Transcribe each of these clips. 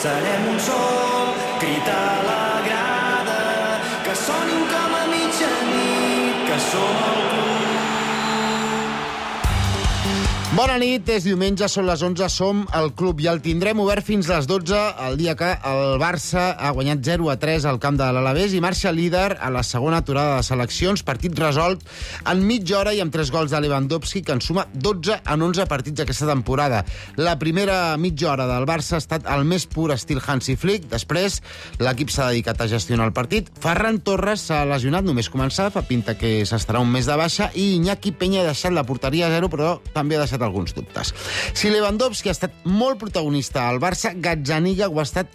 serem un sol, crit a la grada, que sonin com a mitjanit, que som el club. Bona nit, és diumenge, són les 11, som el club i el tindrem obert fins les 12, el dia que el Barça ha guanyat 0-3 al camp de l'Alavés i marxa líder a la segona aturada de seleccions, partit resolt en mitja hora i amb 3 gols de Lewandowski, que en suma 12 en 11 partits aquesta temporada. La primera mitja hora del Barça ha estat el més pur estil Hansi Flick, després l'equip s'ha dedicat a gestionar el partit. Ferran Torres s'ha lesionat només començar, fa pinta que s'estarà un mes de baixa, i Iñaki Peña ha deixat la porteria a 0, però també ha deixat alguns dubtes. Si Lewandowski ha estat molt protagonista al Barça, Gazzaniga ho ha estat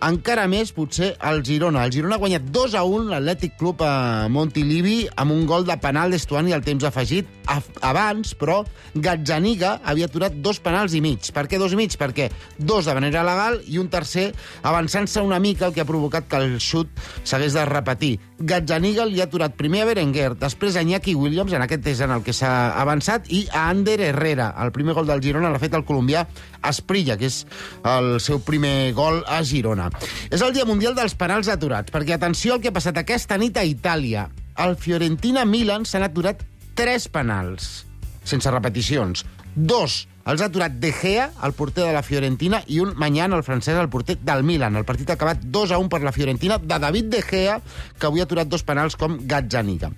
encara més, potser, al Girona. El Girona ha guanyat 2-1 l'Atlètic Club a Montilivi amb un gol de penal d'Estuani al temps afegit. Abans, però, Gazzaniga havia aturat 2 penals i mig. Per què 2 i mig? Perquè 2 de manera legal i un tercer avançant-se una mica, el que ha provocat que el xut s'hagués de repetir. Gazzaniga li ha aturat primer a Berenguer, després a Iñaki Williams, en aquest és en el que s'ha avançat, i a Ander Herrera. El primer gol del Girona l'ha fet el colombià Asprilla, que és el seu primer gol a Girona. És el Dia Mundial dels Penals Aturats, perquè atenció al que ha passat aquesta nit a Itàlia. Al Fiorentina-Milan s'han aturat 3 penals, sense repeticions. 2 els ha aturat De Gea, el porter de la Fiorentina, i un Mañán, el francès, el porter del Milan. El partit ha acabat 2-1 per la Fiorentina, de David De Gea, que avui ha aturat 2 penals com Gazzaniga.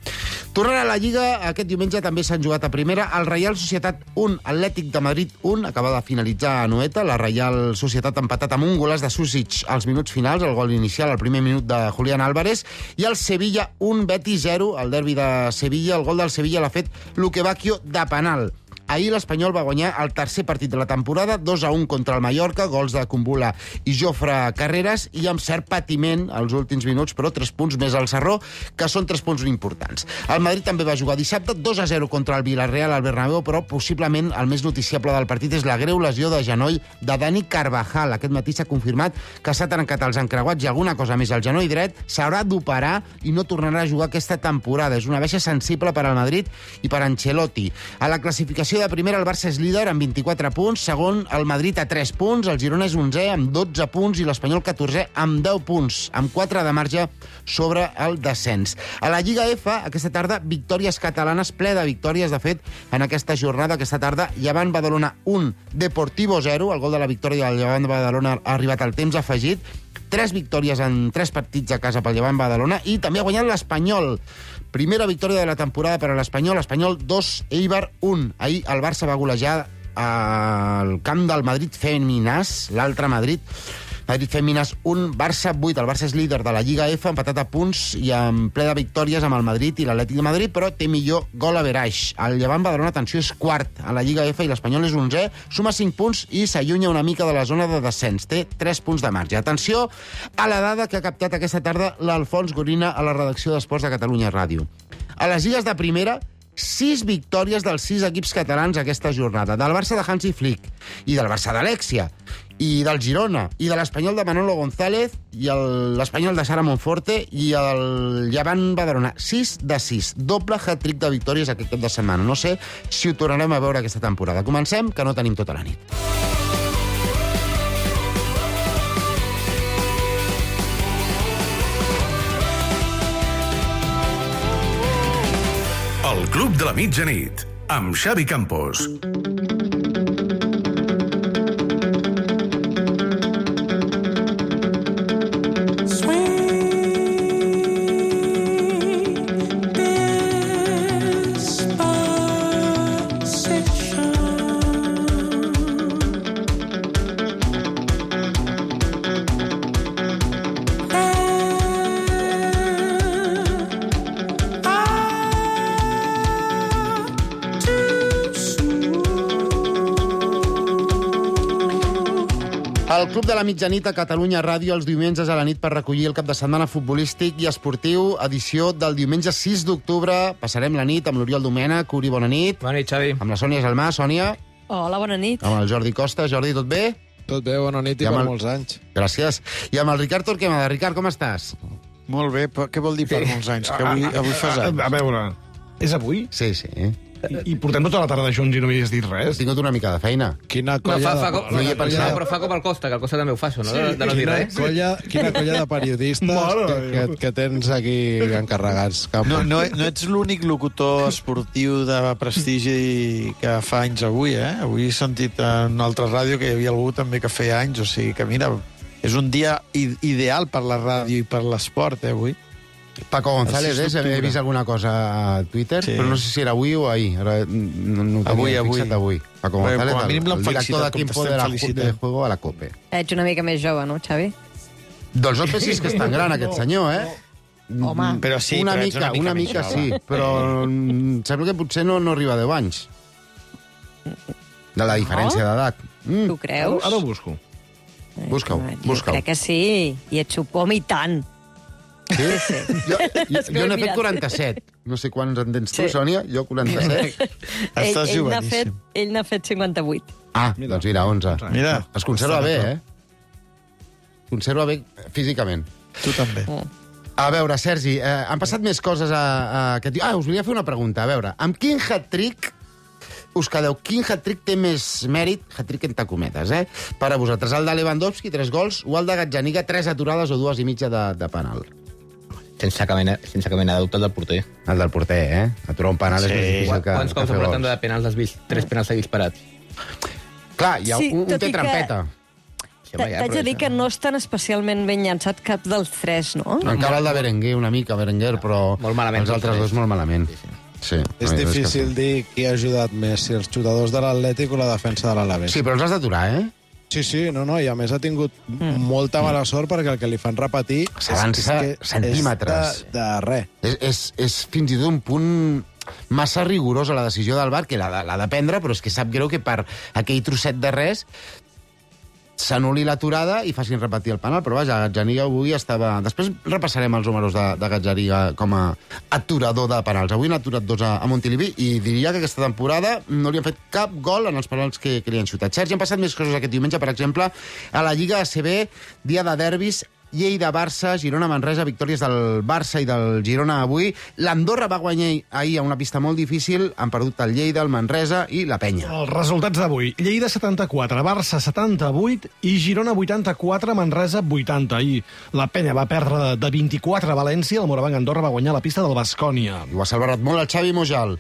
Tornant a la Lliga, aquest diumenge també s'han jugat a primera. El Reial Societat 1, Atlètic de Madrid 1, acaba de finalitzar a Anoeta. La Reial Societat ha empatat amb un golaç de Susic als minuts finals, el gol inicial, el primer minut de Julián Álvarez, i el Sevilla 1, Betis 0, el derbi de Sevilla. El gol del Sevilla l'ha fet Luque Bacchio de penal. Ahir l'Espanyol va guanyar el tercer partit de la temporada, 2-1 contra el Mallorca, gols de Kumbula i Jofre Carreras, i amb cert patiment als últims minuts, però 3 punts més al Sarró, que són 3 punts importants. El Madrid també va jugar dissabte, 2-0 contra el Villarreal al Bernabéu, però possiblement el més noticiable del partit és la greu lesió de genoll de Dani Carvajal. Aquest matí s'ha confirmat que s'ha trencat els encreuats i alguna cosa més al genoll dret, s'haurà d'operar i no tornarà a jugar aquesta temporada. És una baixa sensible per al Madrid i per Ancelotti. A la classificació de primera, el Barça és líder amb 24 punts, segon el Madrid a 3 punts, el Girona és 11è amb 12 punts i l'Espanyol 14è amb 10 punts, amb 4 de marge sobre el descens. A la Lliga F, aquesta tarda, victòries catalanes, ple de victòries, de fet, en aquesta jornada, aquesta tarda, Llevant Badalona 1, Deportivo 0, el gol de la victòria del Llevant Badalona ha arribat al temps afegit, 3 victòries en 3 partits a casa pel Llevant Badalona, i també ha guanyat l'Espanyol. Primera victòria de la temporada per a l'Espanyol, Espanyol 2, Eibar 1. Ahir el Barça va golejar al camp del Madrid Feminàs, l'altre Madrid Feminàs 1, Barça 8. El Barça és líder de la Lliga F, empatat a punts i en ple de victòries amb el Madrid i l'Atlètic de Madrid, però té millor gol average. El Llevant Badalona, atenció, és quart a la Lliga F i l'Espanyol és 11è, suma 5 punts i s'allunya una mica de la zona de descens. Té 3 punts de marge. Atenció a la dada que ha captat aquesta tarda l'Alfons Gorina a la redacció d'Esports de Catalunya Ràdio. A les lligues de primera, 6 victòries dels 6 equips catalans aquesta jornada. Del Barça de Hansi Flick, i del Barça d'Alexia, i del Girona, i de l'Espanyol de Manolo González, i l'Espanyol de Sara Monforte, i el Llevant Badalona. 6 de 6. Doble hat-trick de victòries aquest cap de setmana. No sé si ho tornarem a veure aquesta temporada. Comencem, que no tenim tota la nit. El Club de la Mitjanit, amb Xavi Campos. El Club de la Mitjanit a Catalunya Ràdio els diumenges a la nit per recollir el cap de setmana futbolístic i esportiu, edició del diumenge 6 d'octubre. Passarem la nit amb l'Oriol Domènech. Uri, bona nit. Bona nit, Xavi. Amb la Sònia Salmà. Sònia. Hola, bona nit. Amb el Jordi Costa. Jordi, tot bé? Tot bé, bona nit i per molts anys. Gràcies. I amb el Ricard Torquemada. Ricard, com estàs? Molt bé, però què vol dir per molts anys? Que avui fas anys? A veure, és avui? Sí. I portem tota la tarda junts i no m'hi has dit He res. tingut una mica de feina. Quina No, colla no hi he pensat. però fa com el Costa, que el Costa també ho fa, això, no? De no dir res. Quina colla de periodistes que tens aquí encarregats, Campo. No ets l'únic locutor esportiu de prestigi que fa anys avui, eh? Avui he sentit en una altra ràdio que hi havia algú també que feia anys, o sigui que, mira, és un dia ideal per la ràdio i per l'esport, avui. Paco González, El 6 he vist alguna cosa a Twitter, Sí. però no sé si era avui o ahir. Ara no ho tenia fixat avui. Paco Bé, González, com a mínim el l'hem director felicitat, de Tiempo com de t'estem felicitant. de Juego a la COPE. Ets una mica més jove, no, Xavi? Doncs no sé si és que és tan gran, aquest senyor, eh? Home. Però sí, una però ets mica, una mica més sí, però sembla que potser no arriba a 10 anys. De la diferència d'edat. Tu creus? Ara ho busco. Busca-ho, Jo busca-ho. crec que sí. I ets supom i tant. Sí? Jo n'he fet 47. No sé quants en tens tu, Sí. Sònia. Jo 47. Estàs joveníssim. Ell n'ha fet 58. Ah, doncs mira, 11. Mira. Es conserva bé, eh? Conserva bé físicament. Tu també. A veure, Sergi, han passat més coses aquest dia. Us volia fer una pregunta. A veure, amb quin hat-trick us quedeu? Quin hat-trick té més mèrit, hat-trick entre cometes, per a vosaltres? El de Lewandowski, 3 gols, o el de Gazzaniga, 3 aturades o 2 i mitja de penal? Sense cap mena de dubte, el del porter. El del porter, Aturar un penal és més difícil que Quants cops fer ha portat gols. de penals has vist? 3 penals seguits parats. Clar, hi ha Sí, un tot té i que- trampeta. Sí, home, ja, T'haig però de dir això- que no estan especialment ben llançats cap dels 3, no? Encara el de Berenguer, una mica, Berenguer, però Molt malament, els altres tots dos molt malament. Sí, sí. Sí, És la veritat que difícil sí. dir qui ha ajudat més, si els jugadors de l'Atlètic o la defensa de l'Alavés. Sí, però els has d'aturar, Sí, no, i a més ha tingut molta mala sort perquè el que li fan repetir S'avança és que centímetres. és de res. És fins i tot un punt massa rigorós a la decisió del VAR, que l'ha de prendre, però és que sap greu que per aquell trosset de res s'anul·li l'aturada i facin repetir el penal, però vaja, Gazzaniga avui estava... Després repassarem els números de Gazzaniga com a aturador de penals. Avui n'ha aturat 2 a Montilivi i diria que aquesta temporada no li han fet cap gol en els penals que li han xutat. Sergi, han passat més coses aquest diumenge, per exemple, a la Lliga ACB, dia de derbis, Lleida-Barça, Girona-Manresa, victòries del Barça i del Girona avui. L'Andorra va guanyar ahir a una pista molt difícil, han perdut el Lleida, el Manresa i la Penya. Els resultats d'avui. Lleida 74, Barça 78 i Girona 84, Manresa 80. I la Penya va perdre de 24 a València, el Morabanc Andorra va guanyar la pista del Baskonia. I ho ha salvat molt el Xavi Mojal.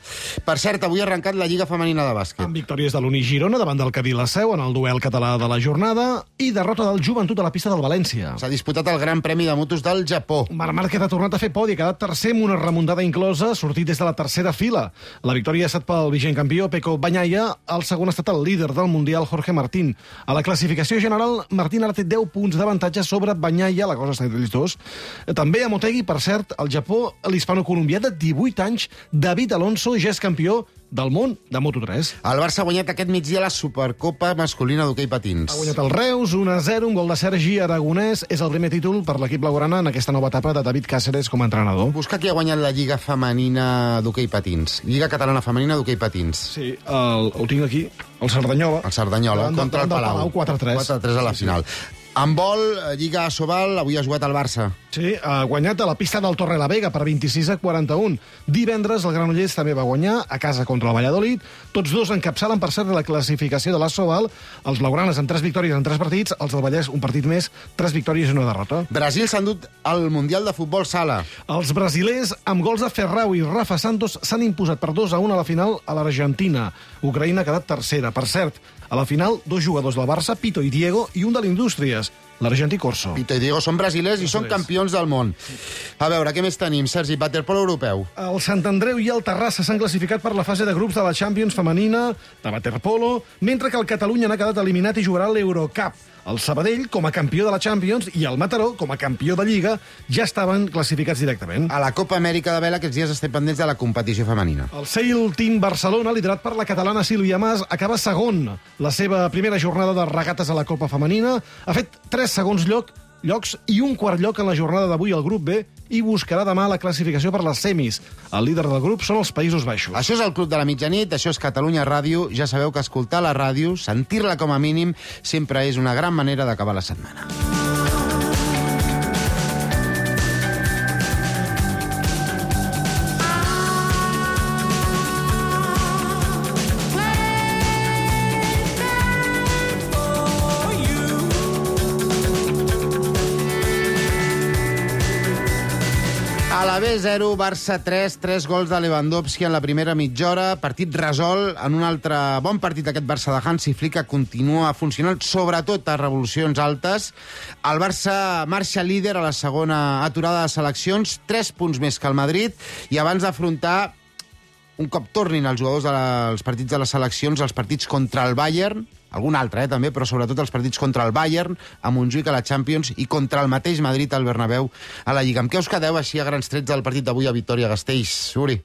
Per cert, avui ha arrencat la Lliga Femenina de bàsquet. Amb victòries de l'Uni Girona davant del Cadí la Seu en el duel català de la jornada i derrota del Joventut a la pista del València. S'ha disputat el Gran Premi de Motos del Japó. Marc Márquez ha tornat a fer podi, ha quedat tercer amb una remuntada inclosa, sortit des de la tercera fila. La victòria ha estat pel vigent campió Pecco Bagnaia, el segon ha estat el líder del Mundial Jorge Martín. A la classificació general, Martín ara té 10 punts d'avantatge sobre Bagnaia, la cosa està entre ells dos. També a Motegi, per cert, al Japó, l'hispano-colombià de 18 anys, David Alonso, ja és campió del món de Moto3. El Barça ha guanyat aquest migdia la Supercopa masculina d'hoquei patins. Ha guanyat el Reus, 1-0, un gol de Sergi Aragonès. És el primer títol per l'equip blaugrana en aquesta nova etapa de David Cáceres com a entrenador. Busca qui ha guanyat la Lliga Femenina d'hoquei patins. Lliga Catalana Femenina d'hoquei patins. Sí, ho tinc aquí, el Cerdanyola. El Cerdanyola, Davant contra el del Palau. 4-3. 4-3 a la final. En vol, Lliga Asobal, avui ha jugat el Barça. Sí, ha guanyat a la pista del Torrelavega per 26-41. Divendres el Granollers també va guanyar a casa contra el Valladolid. Tots dos encapçalen, per cert, la classificació de l'Asobal. Els blaugranes amb 3 victòries en 3 partits, els del Vallès un partit més, 3 victòries i una derrota. Brasil s'ha endut al Mundial de Futbol Sala. Els brasilers, amb gols de Ferrau i Rafa Santos, s'han imposat per 2-1 a la final a l'Argentina. Ucraïna ha quedat tercera. Per cert, a la final, 2 jugadors del Barça, Pito i Diego, i un de l'Indústries, l'argentí Corso. Pito i Diego són brasilers i són campions del món. A veure, què més tenim? Sergi, waterpolo europeu. El Sant Andreu i el Terrassa s'han classificat per la fase de grups de la Champions femenina de waterpolo, mentre que el Catalunya n'ha quedat eliminat i jugarà l'Eurocup. El Sabadell, com a campió de la Champions, i el Mataró, com a campió de Lliga, ja estaven classificats directament. A la Copa Amèrica de Vela aquests dies estem pendents de la competició femenina. El Sail Team Barcelona, liderat per la catalana Sílvia Mas, acaba segon. La seva primera jornada de regates a la Copa Femenina ha fet 3 segons llocs i un quart lloc en la jornada d'avui al grup B i buscarà demà la classificació per les semis. El líder del grup són els Països Baixos. Això és el Club de la Mitjanit, això és Catalunya Ràdio. Ja sabeu que escoltar la ràdio, sentir-la com a mínim, sempre és una gran manera d'acabar la setmana. Alavés 0, Barça 3, 3 gols de Lewandowski en la primera mitja hora, partit resolt en un altre bon partit d'aquest Barça de Hansi Flick, que continua funcionant, sobretot a revolucions altes. El Barça marxa líder a la segona aturada de seleccions, 3 punts més que el Madrid, i abans d'afrontar, un cop tornin els jugadors dels partits de les seleccions, els partits contra el Bayern, algun altre, també, però sobretot els partits contra el Bayern, a Montjuïc a la Champions, i contra el mateix Madrid al Bernabéu a la Lliga. Amb què us quedeu així a grans trets del partit d'avui a Vitòria-Gasteiz, Uri?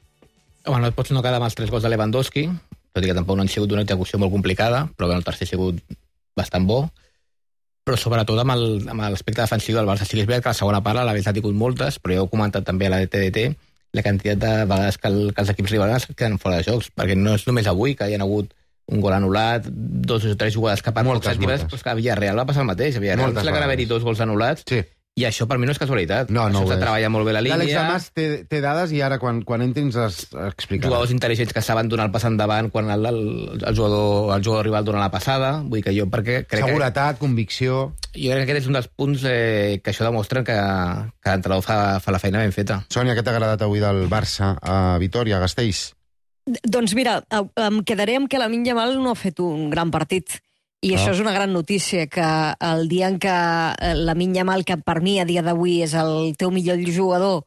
Home, no et pots no quedar amb els 3 gols de Lewandowski, tot i que tampoc no han sigut una execució molt complicada, però el tercer ha sigut bastant bo, però sobretot amb l'aspecte defensiu del Barça. Sí que és veritat que la segona part l'Alavés ha tingut moltes, però ja ho he comentat també a la TDT, la quantitat de vegades que els equips rivals queden fora de jocs, perquè no és només avui que hi ha hagut un gol anul·lat, 2 o 3 jugades que pocs centímetres, però que a Villarreal va passar el mateix. A Villarreal sembla que van haver-hi 2 gols anul·lats, sí. I això per mi no és casualitat. No, això s'ha treballat molt bé la línia. L'Àlex Damas té dades i ara quan entrin les explicarà. Jugadors intel·ligents que saben donar el pas endavant quan el jugador rival dona la passada. Vull dir que jo perquè crec seguretat, convicció. Jo crec que aquest és un dels punts que això demostra que l'entrenador fa la feina ben feta. Sònia, què t'ha agradat avui del Barça a Vitòria, a Gasteiz? Doncs mira, em quedaré amb que Lamine Yamal no ha fet un gran partit. I això és una gran notícia, que el dia en què Lamine Yamal, que per mi a dia d'avui és el teu millor jugador,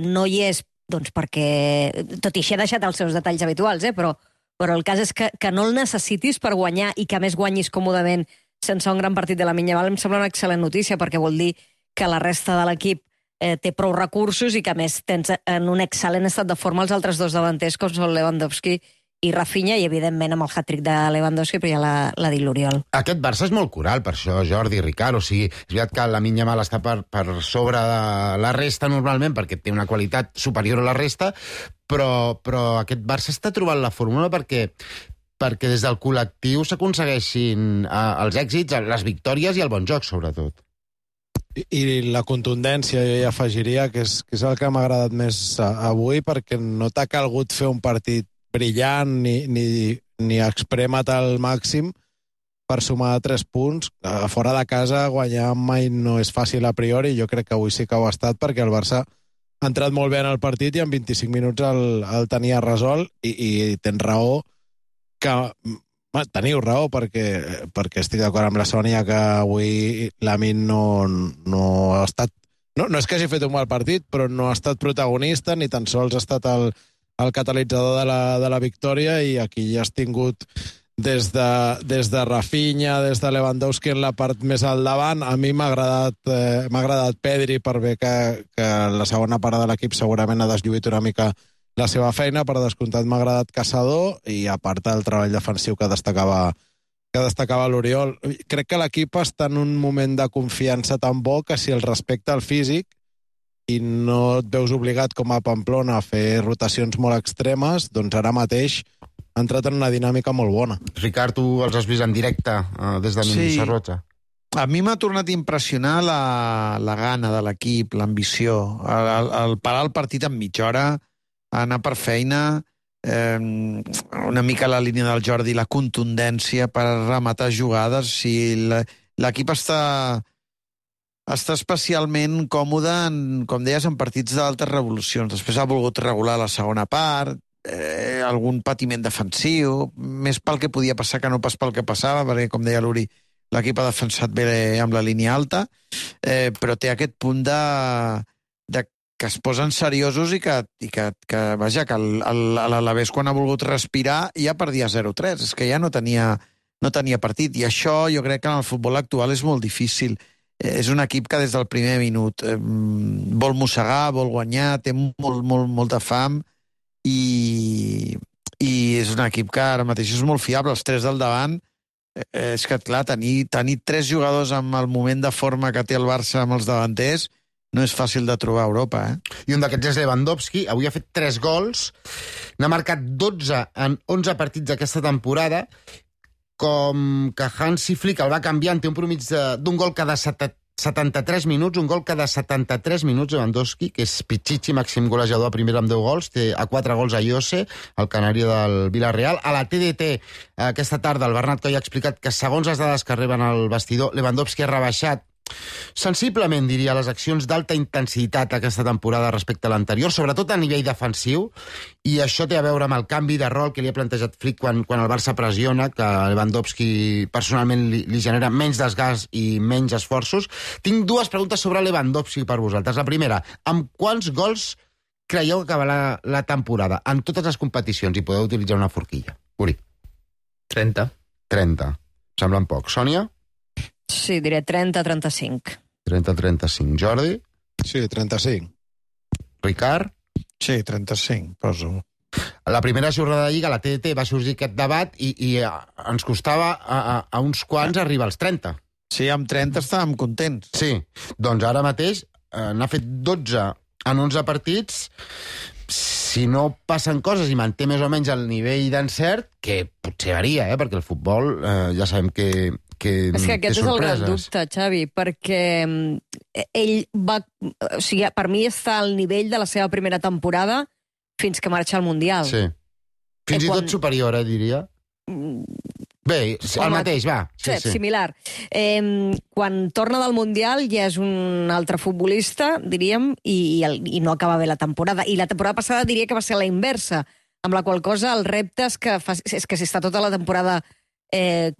no hi és, doncs perquè, tot i així ha deixat els seus detalls habituals, però el cas és que no el necessitis per guanyar i que a més guanyis còmodament sense un gran partit de Lamine Yamal, em sembla una excel·lent notícia, perquè vol dir que la resta de l'equip té prou recursos i que a més tens en un excel·lent estat de forma els altres 2 davanters, com són Lewandowski i Rafinha, i evidentment amb el hat-trick de Lewandowski, però ja l'ha dit l'Oriol. Aquest Barça és molt coral, per això, Jordi, Ricard, o sigui, és veritat que Lamine Yamal està per sobre de la resta normalment, perquè té una qualitat superior a la resta, però aquest Barça està trobant la fórmula perquè des del col·lectiu s'aconsegueixin els èxits, les victòries i el bon joc, sobretot. I la contundència, jo hi afegiria, que és el que m'ha agradat més avui, perquè no t'ha calgut fer un partit brillant ni exprémat al màxim per sumar 3 punts. A fora de casa guanyar mai no és fàcil a priori, jo crec que avui sí que ho ha estat, perquè el Barça ha entrat molt bé en el partit i en 25 minuts el tenia resolt, i tens raó teniu raó, perquè estic d'acord amb la Sònia que avui Lamine no ha estat, no és que hagi fet un mal partit, però no ha estat protagonista, ni tan sols ha estat el catalitzador de la victòria, i aquí ja has tingut des de Rafinha, des de Lewandowski en la part més al davant. A mi m'ha agradat Pedri, per bé que la segona part de l'equip segurament ha deslluït una mica la seva feina. Per descomptat m'ha agradat Caçador, i a part el treball defensiu que destacava l'Oriol. Crec que l'equip està en un moment de confiança tan bo que si el respecta el físic i no et veus obligat com a Pamplona a fer rotacions molt extremes, doncs ara mateix ha entrat en una dinàmica molt bona. Ricard, tu els has vist en directe des de Minissarroja. A mi m'ha tornat a impressionar la gana de l'equip, l'ambició, el parar el partit en mitja hora, anar per feina, una mica la línia del Jordi, la contundència per rematar jugades. Si l'equip està especialment còmode, com deies, en partits d'altes revolucions. Després ha volgut regular la segona part, algun patiment defensiu, més pel que podia passar que no pas pel que passava, perquè, com deia l'Uri, l'equip ha defensat bé amb la línia alta, però té aquest punt que es posen seriosos i que l'Alavés, quan ha volgut respirar, ja perdia 0-3. És que ja no tenia partit. I això jo crec que en el futbol actual és molt difícil. És un equip que des del primer minut vol mossegar, vol guanyar, té molta fam, i és un equip que ara mateix és molt fiable. Els 3 del davant, és que, clar, tenir 3 jugadors amb el moment de forma que té el Barça amb els davanters no és fàcil de trobar a Europa, I un d'aquests és Lewandowski. Avui ha fet 3 gols, n'ha marcat 12 en 11 partits d'aquesta temporada. Com que Hansi Flick el va canviant, té un promig d'un gol cada 73 minuts, un gol cada 73 minuts Lewandowski, que és Pichichi, màxim golejador a primera amb 10 gols, té a 4 gols a Jose, el canari del Villarreal. A la TDT, aquesta tarda, el Bernat Coll ha explicat que segons les dades que reben al vestidor, Lewandowski ha rebaixat Sensiblement, diria, les accions d'alta intensitat aquesta temporada respecte a l'anterior, sobretot a nivell defensiu, i això té a veure amb el canvi de rol que li ha plantejat Flick quan el Barça pressiona, que Lewandowski personalment li genera menys desgast i menys esforços. Tinc dues preguntes sobre Lewandowski per vosaltres. La primera, amb quants gols creieu que acabarà la temporada en totes les competicions, i podeu utilitzar una forquilla? Uri. 30. 30. Semblen poc. Sònia? Sí, diré 30-35. 30-35. Jordi? Sí, 35. Ricard? Sí, 35, poso. La primera jornada de Lliga, la TDT, va sorgir aquest debat i ens costava a uns quants arribar als 30. Sí, amb 30 estàvem contents. Sí, doncs ara mateix n'ha fet 12 en 11 partits. Si no passen coses i manté més o menys el nivell d'encert, que potser varia, perquè el futbol ja sabem que és que aquest és el gran dubte, Xavi, perquè ell va... O sigui, per mi està al nivell de la seva primera temporada fins que marxa al Mundial. Sí. Fins i tot superior, diria. Bé, el mateix, va. Sí. Similar. Quan torna del Mundial ja és un altre futbolista, diríem, i no acaba bé la temporada. I la temporada passada diria que va ser la inversa, amb la qual cosa el repte és que si està tota la temporada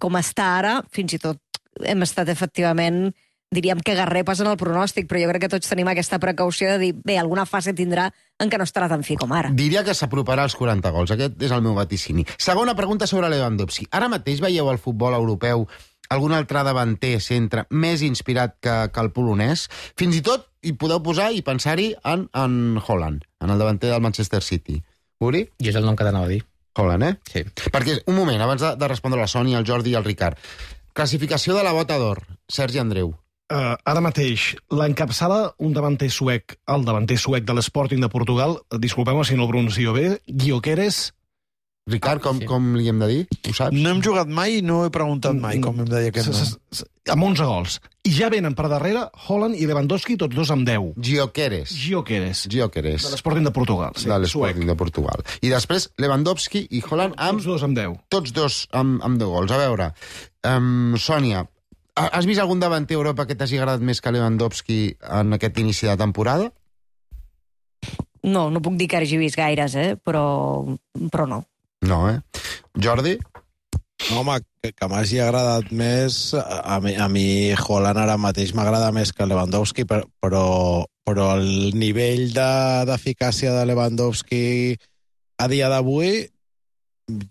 com està ara, fins i tot hem estat efectivament, diríem que garrepes en el pronòstic, però jo crec que tots tenim aquesta precaució de dir, bé, alguna fase tindrà en què no estarà tan fi com ara. Diria que s'aproparà als 40 gols, aquest és el meu vaticini. Segona pregunta sobre Lewandowski. Ara mateix veieu al futbol europeu algun altre davanter centre més inspirat que el polonès? Fins i tot hi podeu posar i pensar-hi en Haaland, en el davanter del Manchester City. Uri? I és el nom que t'anava a dir. Haaland, Sí. Perquè, un moment, abans de respondre la Sònia, el Jordi i el Ricard. Classificació de la bota d'or. Sergi Andreu. Ara mateix, l'encapçala un davanter suec, el davanter suec de l'Sporting de Portugal, disculpeu-me si no el pronuncio bé, Gyökeres. Ricard, com li hem de dir? Ho saps? No hem jugat mai i no he preguntat mai com hem de dir aquest nom. Amb 11 gols. I ja venen per darrere Haaland i Lewandowski, tots dos amb 10. Gyökeres. De l'Sporting de Portugal. Sí, de l'Sporting de Portugal. I després Lewandowski i Haaland amb... Tots dos amb 10. Tots dos amb 10 gols. A veure, Sònia, has vist algun davanter a Europa que t'hagi agradat més que Lewandowski en aquest inici de temporada? No puc dir que hagi vist gaires, però no. No, Jordi? No, home, que m'hagi agradat més... A mi Haaland ara mateix m'agrada més que Lewandowski, però el nivell d'eficàcia de Lewandowski a dia d'avui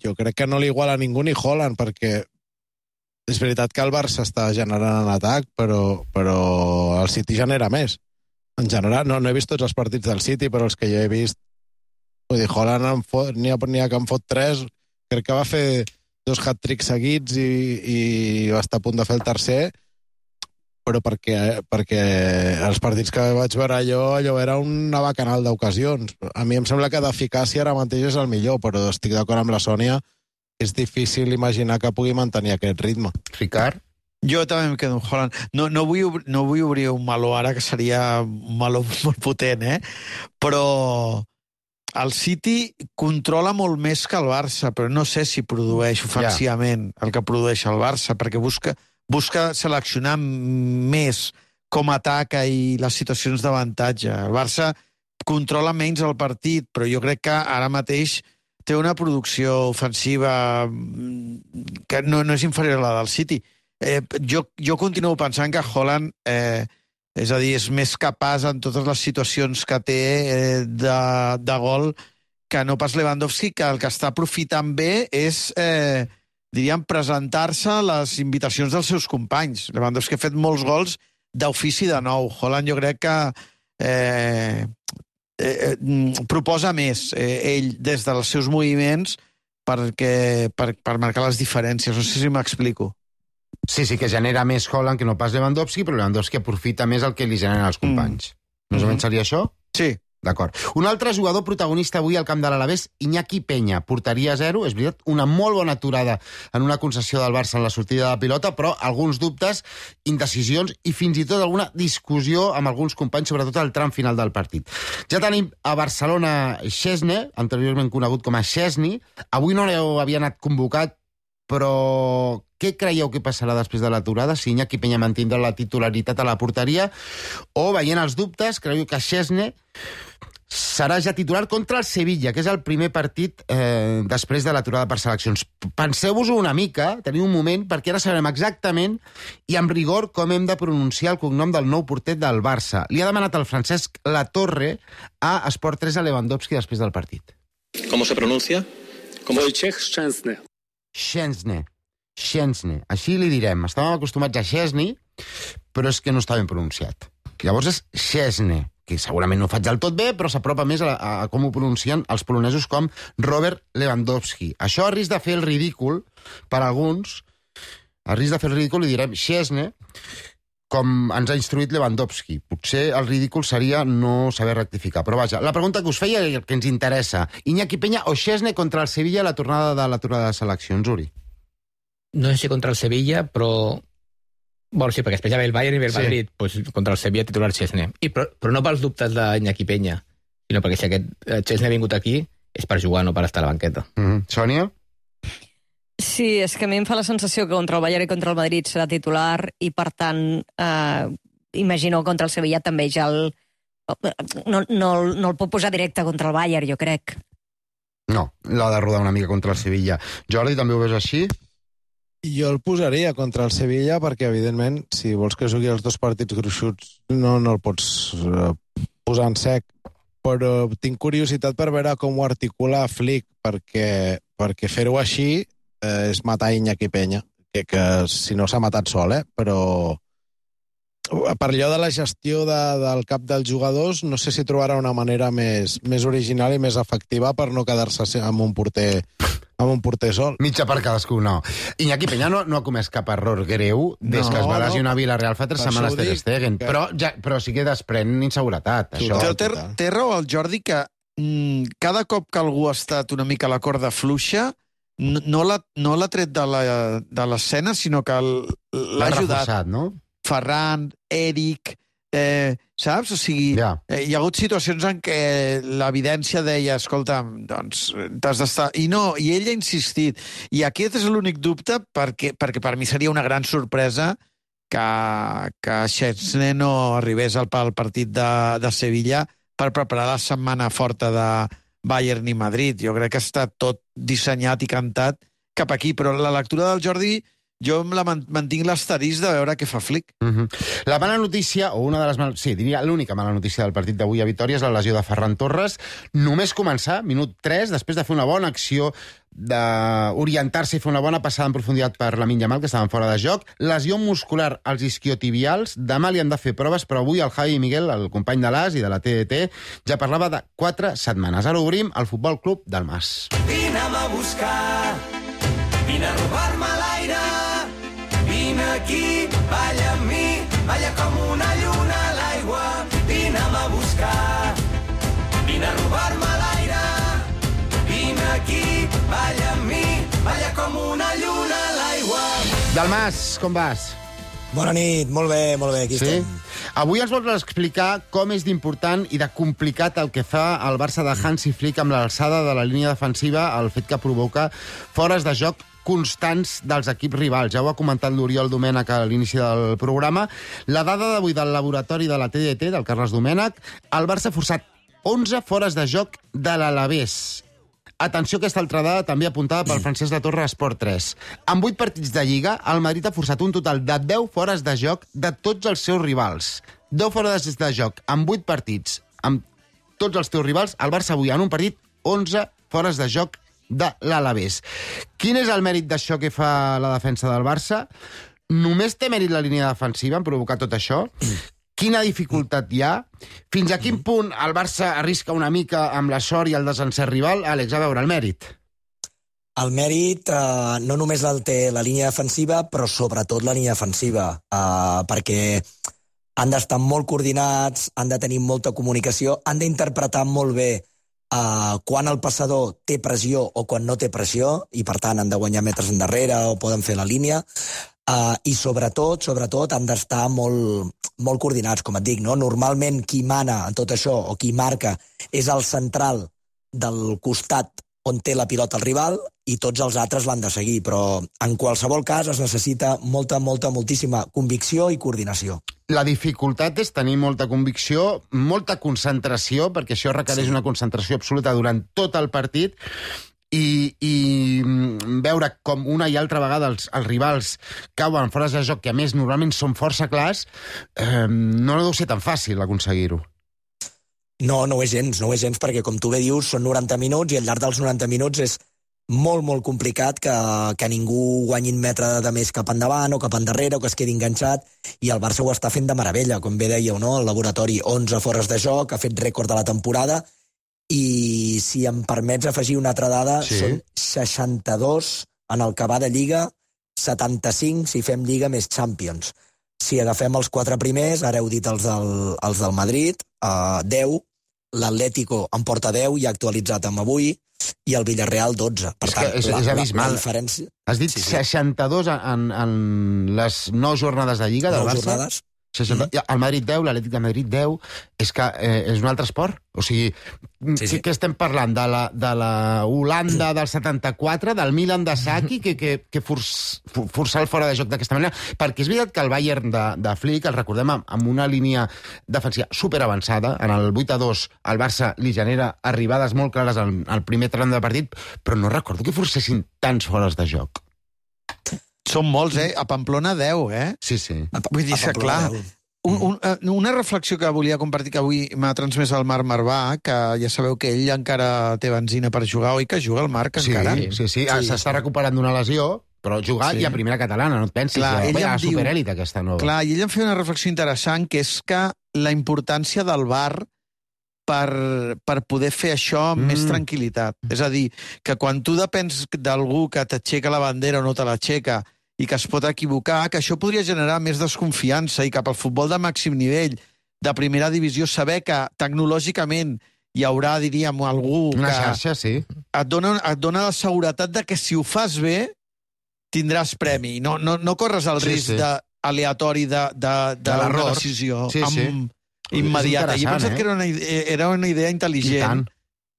jo crec que no li iguala a ningú ni Haaland, perquè és veritat que el Barça està generant en atac, però el City genera més. En general, no he vist tots els partits del City, però els que jo he vist, vull dir, Haaland n'hi ha que en fot 3, crec que va fer 2 hat-tricks seguits i va estar a punt de fer el tercer, però perquè els partits que vaig veure allò era una bacanal d'ocasions. A mi em sembla que d'eficàcia ara mateix és el millor, però estic d'acord amb la Sònia, és difícil imaginar que pugui mantenir aquest ritme. Ricard? Jo també em quedo amb Haaland. No vull obrir un meló ara, que seria un meló molt potent, però el City controla molt més que el Barça, però no sé si produeix ofensivament el que produeix el Barça, perquè busca seleccionar més com ataca i les situacions d'avantatge. El Barça controla menys el partit, però jo crec que ara mateix té una producció ofensiva que no és inferior a la del City. Jo continuo pensant que Haaland, és a dir, és més capaç en totes les situacions que té de gol que no pas Lewandowski, que el que està aprofitant bé és, diríem, presentar-se a les invitacions dels seus companys. Lewandowski ha fet molts gols d'ofici de nou. Haaland jo crec que proposa més ell des dels seus moviments per marcar les diferències. No sé si m'explico. Sí, que genera més Haaland que no pas Lewandowski, però Lewandowski aprofita més el que li generen els companys. Més o menys seria això? Sí. D'acord. Un altre jugador protagonista avui al camp de l'Alavés, Iñaki Peña. Porteria 0, és veritat, una molt bona aturada en una concessió del Barça en la sortida de la pilota, però alguns dubtes, indecisions i fins i tot alguna discussió amb alguns companys, sobretot al tram final del partit. Ja tenim a Barcelona Szczesny, anteriorment conegut com a Szczesny. Avui no havia anat convocat però què creieu que passarà després de l'aturada? Si Iñaki Peña mantindrà la titularitat a la porteria o, veient els dubtes, creieu que Szczesny serà ja titular contra el Sevilla, que és el primer partit després de l'aturada per seleccions. Penseu-vos-ho una mica, teniu un moment, perquè ara sabrem exactament i amb rigor com hem de pronunciar el cognom del nou porter del Barça. Li ha demanat el Francesc Latorre a Esport 3 a Lewandowski després del partit. ¿Cómo se pronuncia? Wojciech Szczęsny. Szczęsny. Així li direm. Estàvem acostumats a Szczesny, però és que no està ben pronunciat. Llavors és Szczesny, que segurament no ho faig del tot bé, però s'apropa més a com ho pronuncien els polonesos com Robert Lewandowski. Això a risc de fer el ridícul per alguns, a risc de fer el ridícul li direm Szczesny, com ens ha instruït Lewandowski. Potser el ridícul seria no saber rectificar. Però vaja, la pregunta que us feia i el que ens interessa. Iñaki Peña o Szczesny contra el Sevilla a la tornada de l'aturada de seleccions, Uri? No sé si contra el Sevilla, però... Bueno, sí, perquè després ja ve el Bayern i ve el Madrid, pues, contra el Sevilla titular Szczesny. Però no pels dubtes d'Iñaki Peña, sinó perquè si aquest Szczesny ha vingut aquí és per jugar, no per estar a la banqueta. Sònia? Sí, és que a mi em fa la sensació que contra el Bayern i contra el Madrid serà titular i, per tant, imagino contra el Sevilla també ja no el pot posar directe contra el Bayern, jo crec. No, l'ha de rodar una mica contra el Sevilla. Jordi, també ho veus així? Jo el posaria contra el Sevilla perquè, evidentment, si vols que jugui els dos partits gruixuts, no el pots posar en sec. Però tinc curiositat per veure com ho articula Flick, perquè fer-ho així és matar Iñaki Peña, que si no s'ha matat sol, però per allò de la gestió del cap dels jugadors, no sé si trobarà una manera més original i més efectiva per no quedar-se amb un porter sol. Mitja per cadascú, no. Iñaki Peña no ha comès cap error greu des que es va lesionar a Villarreal fa 3 setmanes Ter Stegen, però sí que desprèn inseguretat. Això. Té raó el Jordi que cada cop que algú ha estat una mica a la corda fluixa no l'ha tret de l'escena, sinó que l'ha ajudat. Reforçat, no? Ferran, Eric, saps? O sigui, hi ha hagut situacions en què l'evidència deia, escolta, doncs t'has d'estar... I ell ha insistit. I aquest és l'únic dubte perquè per mi seria una gran sorpresa que Szczesny no arribés al partit de Sevilla per preparar la setmana forta de Bayern i Madrid. Jo crec que està tot dissenyat i cantat cap aquí, però la lectura del Jordi jo mantinc l'asterisc de veure què fa Flick. La mala notícia, o una de les diria l'única mala notícia del partit d'avui a Vitòria és la lesió de Ferran Torres. Només començar, minut 3, després de fer una bona acció, d'orientar-se i fer una bona passada en profunditat per Lamine Yamal, que estaven fora de joc. Lesió muscular als isquiotibials. Demà li han de fer proves, però avui el Javi Miguel, el company de l'AS i de la TDT, ja parlava de 4 setmanes. Ara obrim el Futbol Club del Mas. Vine'm a buscar, vine a robar-me l'aire, vine aquí, balla amb mi, balla com una lluna a l'aigua. Vine'm a buscar, vine a robar-me l'aire, vine aquí, balla amb mi, balla com una lluna a l'aigua. Dalmas, com vas? Bona nit, molt bé, aquí estem. Avui ens vols explicar com és d'important i de complicat el que fa el Barça de Hansi Flick amb l'alçada de la línia defensiva, el fet que provoca fores de joc constants dels equips rivals. Ja ho ha comentat l'Oriol Domènech a l'inici del programa. La dada d'avui del laboratori de la TDT, del Carles Domènech, el Barça ha forçat 11 fores de joc de l'Alavés. Atenció, aquesta altra dada també apuntada pel Francesc Latorre a Esport 3. En 8 partits de Lliga, el Madrid ha forçat un total de 10 fores de joc de tots els seus rivals. 10 fores de joc en 8 partits amb tots els teus rivals. El Barça avui, en un partit, 11 fores de joc de l'Alavés. Quin és el mèrit d'això que fa la defensa del Barça? Només té mèrit la línia defensiva en provocar tot això? Quina dificultat hi ha? Fins a quin punt el Barça arrisca una mica amb la sort i el desencert rival? Àlex, a veure, el mèrit. El mèrit no només el té la línia defensiva, però sobretot la línia defensiva, perquè han d'estar molt coordinats, han de tenir molta comunicació, han d'interpretar molt bé quan el passador té pressió o quan no té pressió, i per tant han de guanyar metres endarrere o poden fer la línia, i sobretot han d'estar molt coordinats, com et dic, no? Normalment qui mana en tot això, o qui marca, és el central del costat on té la pilota el rival i tots els altres l'han de seguir, però en qualsevol cas es necessita moltíssima convicció i coordinació. La dificultat és tenir molta convicció, molta concentració, perquè això requereix una concentració absoluta durant tot el partit, i veure com una i altra vegada els rivals cauen fora de joc, que a més normalment són força clars, no deu ser tan fàcil aconseguir-ho. No ho és gens, perquè com tu bé dius, són 90 minuts i al llarg dels 90 minuts és molt complicat que ningú guanyi un metre de més cap endavant o cap endarrere o que es quedi enganxat, i el Barça ho està fent de meravella, com bé dèieu, no? El laboratori 11 fores de joc, ha fet rècord de la temporada, i si em permets afegir una altra dada, són 62 en el que va de Lliga, 75 si fem Lliga més Champions. Si agafem els 4 primers, ara heu dit els del Madrid, 10, l'Atlético en porta 10 i ha actualitzat amb avui, i el Villarreal 12. Per tant, és abismal. La diferència... Has dit 62 en les 9 jornades de Lliga del Barça? 9 jornades. El Madrid 10, l'Atlètic de Madrid 10, és que és un altre esport. O sigui, què estem parlant? De la Holanda del 74, del Milan de Saki, que forçar el fora de joc d'aquesta manera? Perquè és veritat que el Bayern de Flick, el recordem amb una línia defensiva superavançada, en el 8-2 el Barça li genera arribades molt clares al primer tram de partit, però no recordo que forcessin tants fores de joc. Són molts, A Pamplona 10, Sí. Vull dir que, clar, una reflexió que volia compartir, que avui m'ha transmès el Marc Marvà, que ja sabeu que ell encara té benzina per jugar, oi que juga el Marc encara? Sí. S'està recuperant d'una lesió, però jugar i a primera catalana, no et pensis. Clar, ell a em diu... superèlita aquesta nova. Clar, i ell em feia una reflexió interessant, que és que la importància del VAR per poder fer això amb més tranquil·litat. És a dir, que quan tu depens d'algú que t'aixeca la bandera o no te l'aixeca i que es pot equivocar, que això podria generar més desconfiança, i cap al futbol de màxim nivell, de primera divisió, saber que tecnològicament hi haurà, diríem, algú una que xarxa, sí. et dona la seguretat de que si ho fas bé tindràs premi. No corres el risc aleatori d'una decisió immediata. I he pensat que era una idea intel·ligent,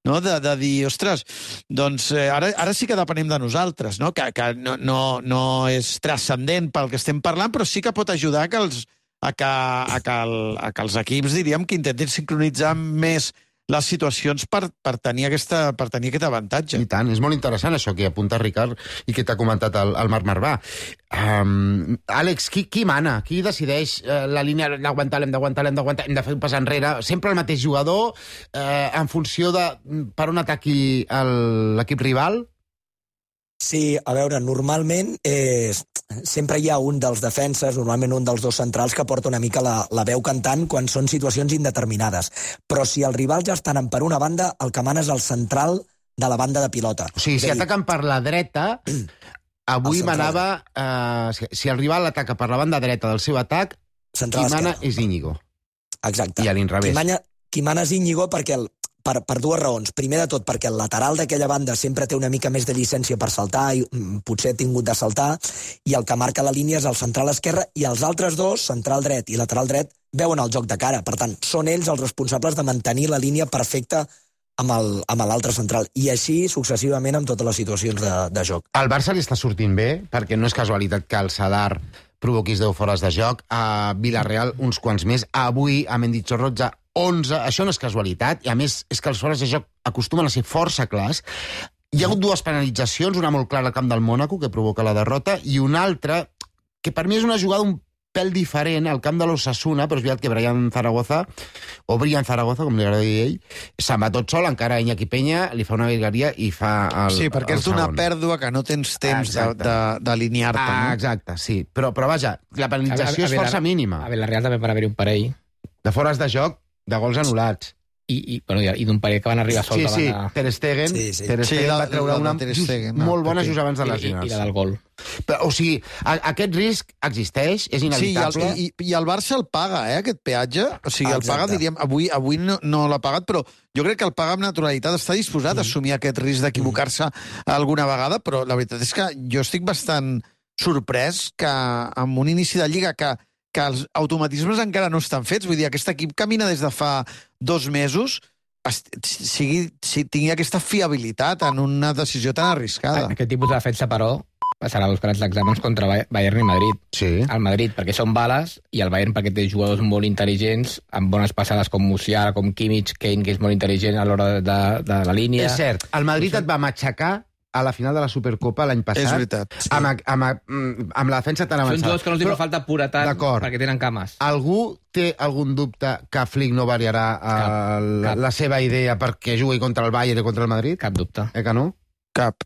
no? De dir, ostres, doncs ara sí que depenem de nosaltres, no? Que no és transcendent pel que estem parlant, però sí que pot ajudar a que els equips, diríem, que intentin sincronitzar més les situacions per tenir aquest avantatge. I tant, és molt interessant això que apunta Ricard i que t'ha comentat el Marc Marvà. Àlex, qui mana? Qui decideix la línia d'aguantar, l'hem d'aguantar, hem de fer un pas enrere? Sempre el mateix jugador en funció de per on ataqui l'equip rival? Sí, a veure, normalment sempre hi ha un dels defenses, normalment un dels dos centrals, que porta una mica la veu cantant quan són situacions indeterminades. Però si els rivals ja estan per una banda, el que mana és el central de la banda de pilota. O sigui, si ataquen per la dreta, avui manava... si el rival ataca per la banda dreta del seu atac, qui mana és Íñigo. Exacte. I a l'inrevés. Qui mana és Íñigo perquè per dues raons. Primer de tot, perquè el lateral d'aquella banda sempre té una mica més de llicència per saltar, i potser ha tingut de saltar, i el que marca la línia és el central esquerre, i els altres dos, central dret i lateral dret, veuen el joc de cara. Per tant, són ells els responsables de mantenir la línia perfecta amb l'altre central. I així, successivament, amb totes les situacions de joc. Al Barça li està sortint bé, perquè no és casualitat que el Sadar provoquis 10 fores de joc, a Villarreal uns quants més, avui a Mendizorroza 11, això no és casualitat, i a més és que els fores de joc acostumen a ser força clars. Hi ha hagut dues penalitzacions, una molt clara al camp del Mònaco, que provoca la derrota, i una altra, que per mi és una jugada un pèl diferent, al camp de l'Osasuna, però és veritat que Brian Zaragoza, com li agrada dir ell, se'n va tot sol, encara Iñaki Peña li fa una virgueria i fa el Sí, perquè és d'una pèrdua que no tens temps d'alinear-te. Exacte, sí. Però vaja, la penalització és força mínima. A Villarreal també per haver un parell. De fores de joc, de gols anul·lats. I d'un parell que van arribar sol. Sí, Ter Stegen va treure una molt bona just abans de lesionar-se. I la del gol. O sigui, aquest risc existeix, és inevitable. Sí, i el Barça el paga, aquest peatge. O sigui, el paga, diríem, avui no l'ha pagat, però jo crec que el paga amb naturalitat, està disposat a assumir aquest risc d'equivocar-se alguna vegada, però la veritat és que jo estic bastant sorprès que amb un inici de Lliga que els automatismes encara no estan fets. Vull dir, aquest equip camina des de fa 2 mesos tingui aquesta fiabilitat en una decisió tan arriscada. Aquest tipus de defensa, però, passarà els grans exàmens contra Bayern i Madrid. Sí. El Madrid, perquè són bales, i el Bayern perquè té jugadors molt intel·ligents, amb bones passades com Musiala, com Kimmich, Kane, que és molt intel·ligent a l'hora de la línia. És cert, el Madrid et va matxacar a la final de la Supercopa l'any passat. És veritat, sí. Amb la defensa tan avançada. Són jugadors que no els fa falta puretat perquè tenen cames. Algú té algun dubte que Flick no variarà la seva idea perquè jugui contra el Bayern i contra el Madrid? Cap dubte. Que no? Cap.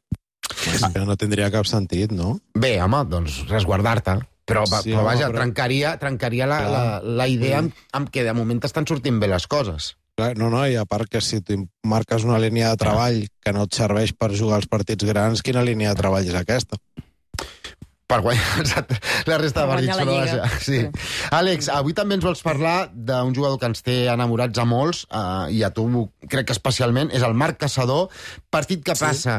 No tindria cap sentit, no? Bé, home, doncs resguardar-te. Però vaja, trencaria la idea amb què de moment estan sortint bé les coses. No, i a part que si tu marques una línia de treball que no et serveix per jugar als partits grans, quina línia de treball és aquesta? Per guanyar la resta de partits. Sí. Àlex, avui també ens vols parlar d'un jugador que ens té enamorats a molts, i a tu crec que especialment, és el Marc Caçador. Partit que passa,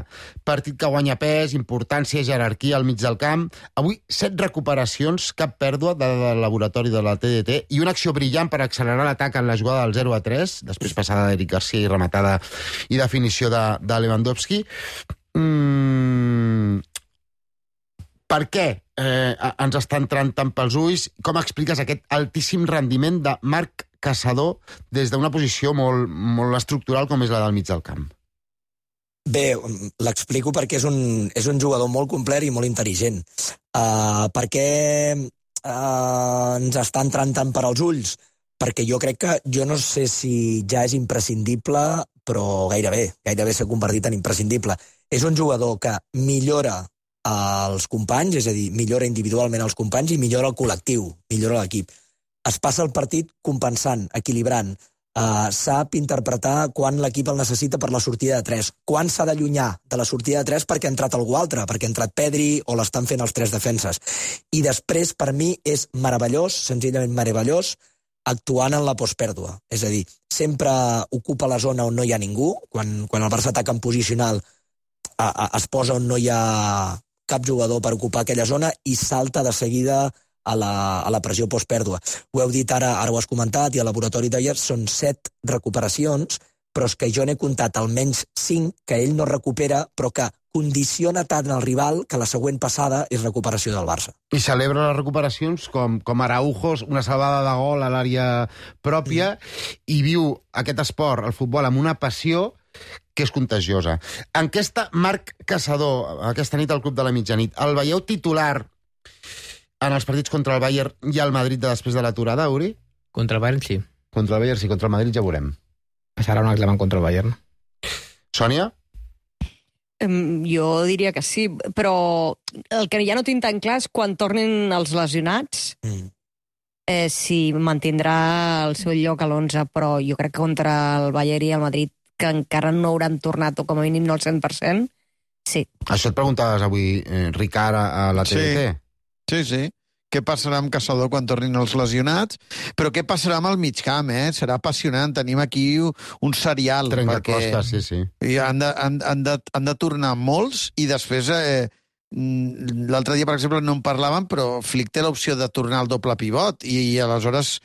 partit que guanya pes, importància, jerarquia al mig del camp. Avui 7 recuperacions, cap pèrdua del laboratori de la TDT, i una acció brillant per accelerar l'atac en la jugada del 0-3, després passada d'Eric Garcia i rematada i definició de Lewandowski. Per què ens està entrant tant pels ulls? Com expliques aquest altíssim rendiment de Marc Caçador des d'una posició molt estructural com és la del mig del camp? Bé, l'explico perquè és un jugador molt complet i molt intel·ligent. Per què ens està entrant tant per als ulls? Perquè jo no sé si ja és imprescindible, però gairebé s'ha convertit en imprescindible. És un jugador que millora els companys, és a dir, millora individualment els companys i millora el col·lectiu, millora l'equip. Es passa el partit compensant, equilibrant, sap interpretar quan l'equip el necessita per la sortida de 3, quan s'ha d'allunyar de la sortida de 3 perquè ha entrat algú altre, perquè ha entrat Pedri o l'estan fent els 3 defenses. I després, per mi, és meravellós, senzillament meravellós, actuant en la postpèrdua. És a dir, sempre ocupa la zona on no hi ha ningú, quan el Barça ataca en posicional es posa on no hi ha cap jugador per ocupar aquella zona i salta de seguida a la pressió postpèrdua. Ho heu dit ara ho has comentat, i al laboratori d'ahir són 7 recuperacions, però és que jo n'he comptat almenys 5 que ell no recupera, però que condiciona tant el rival que la següent passada és recuperació del Barça. I celebra les recuperacions com Araujo, una salvada de gol a l'àrea pròpia, i viu aquest esport, el futbol, amb una passió que és contagiosa. En què està Marc Caçador aquesta nit al Club de la Mitjanit? El veieu titular en els partits contra el Bayern i el Madrid després de l'aturada, Uri? Contra el Bayern, sí. Contra el Bayern, sí. Contra el Madrid ja veurem. Serà un examen contra el Bayern. Sònia? Jo diria que sí, però el que ja no tinc tan clar és quan tornin els lesionats, si mantindrà el seu lloc a l'11, però jo crec que contra el Bayern i el Madrid, que encara no hauran tornat, o com a mínim no al 100%, sí. Això et preguntaves avui, Ricard, a la TDT? Sí. Què passarà amb Caçador quan tornin els lesionats? Però què passarà amb el migcamp, Serà apassionant. Tenim aquí un serial. Trencaclosques, sí. I han de tornar molts, i després... l'altre dia, per exemple, no en parlàvem, però Flick té l'opció de tornar al doble pivot, i aleshores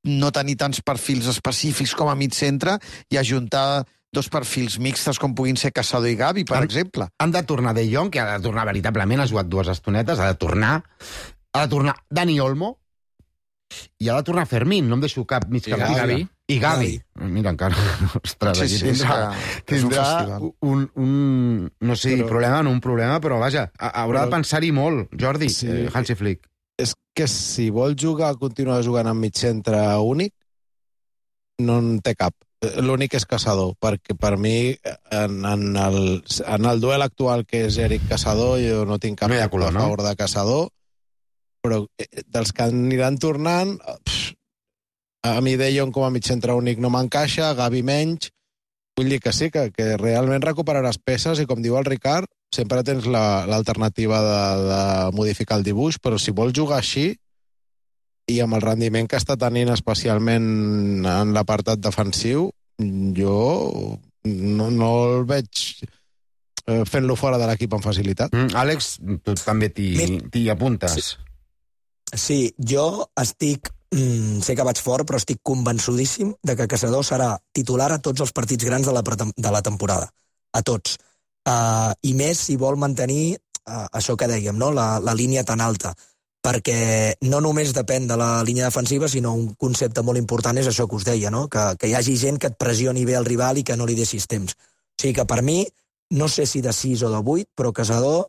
no tenir tants perfils específics com a mig centre i ajuntar 2 perfils mixtes com puguin ser Caçador i Gavi, per exemple. Han de tornar De Jong, que ha de tornar veritablement, ha jugat 2 estonetes, ha de tornar Dani Olmo, i ha de tornar Fermín, no em deixo cap mig cap. I Gavi. Mira, encara, ostres, aquí tindrà un no sé, problema, no un problema, però vaja, haurà de pensar-hi molt, Jordi, Hansi Flick. És que si vol continuar jugant amb mig centre únic, no en té cap. L'únic és Caçador, perquè per mi en el duel actual que és Eric Caçador, jo no tinc cap a favor de Caçador, però dels que aniran tornant, a mi De Jong com a mig centre únic no m'encaixa, Gavi menys, vull dir que sí, que realment recuperaràs peces, i com diu el Ricard, sempre tens l'alternativa de modificar el dibuix, però si vols jugar així, i amb el rendiment que està tenint especialment en l'apartat defensiu, jo no el veig fent-lo fora de l'equip amb facilitat. Àlex, tu també t'hi apuntes. Sí, jo estic sé que vaig fort, però estic convençudíssim de que Caçador serà titular a tots els partits grans de la temporada. A tots. I més si vol mantenir això que dèiem, no? La línia tan alta. Perquè no només depèn de la línia defensiva, sinó un concepte molt important és això que us deia, no? Que hi hagi gent que et pressioni bé el rival i que no li deixis temps. O sigui que per mi, no sé si de 6 o de 8, però Caçador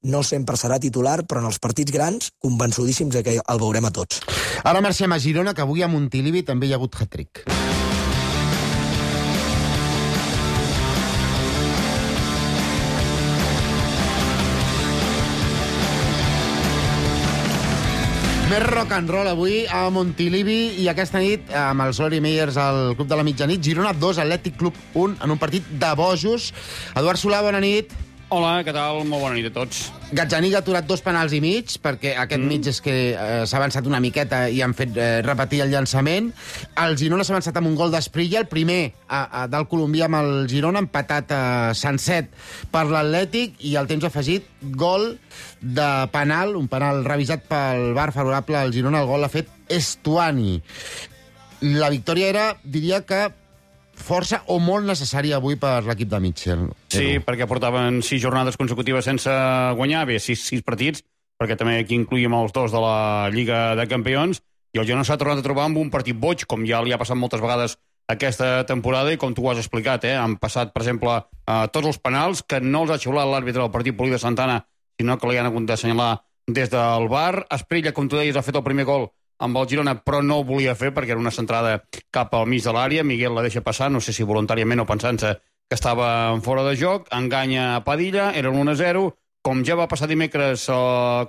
no sempre serà titular, però en els partits grans, convençudíssims que el veurem a tots. Ara marxem a Girona, que avui a Montilivi també hi ha hagut hat-trick. Més rock and roll avui a Montilivi i aquesta nit amb els Lori Meyers al Club de la Mitjanit. Girona 2, Atlètic Club 1 en un partit de bojos. Eduard Solà, bona nit. Hola, què tal? Molt bona nit a tots. Gazzaniga ha aturat 2 penals i mig, perquè aquest mig és que s'ha avançat una miqueta i han fet repetir el llançament. El Girona s'ha avançat amb un gol d'Esprilla, el primer del colombià amb el Girona, empatat a Sanset per l'Atlètic, i al temps afegit, gol de penal, un penal revisat pel VAR favorable al Girona. El gol l'ha fet Estuani. La victòria era, diria que, força o molt necessària avui per l'equip de Mitchell. Sí, perquè portaven 6 jornades consecutives sense guanyar, bé, 6 partits, perquè també aquí incluïm els 2 de la Lliga de Campions, i el Girona s'ha tornat a trobar amb un partit boig, com ja li ha passat moltes vegades aquesta temporada, i com tu ho has explicat, han passat, per exemple, tots els penals, que no els ha xiulat l'àrbitre del partit Poli de Santana, sinó que li han hagut d'assenyalar des del VAR. Esprilla, com tu deies, ha fet el primer gol amb el Girona, però no ho volia fer perquè era una centrada cap al mig de l'àrea. Miguel la deixa passar, no sé si voluntàriament o pensant-se que estava en fora de joc, enganya a Padilla, era un 1-0, com ja va passar dimecres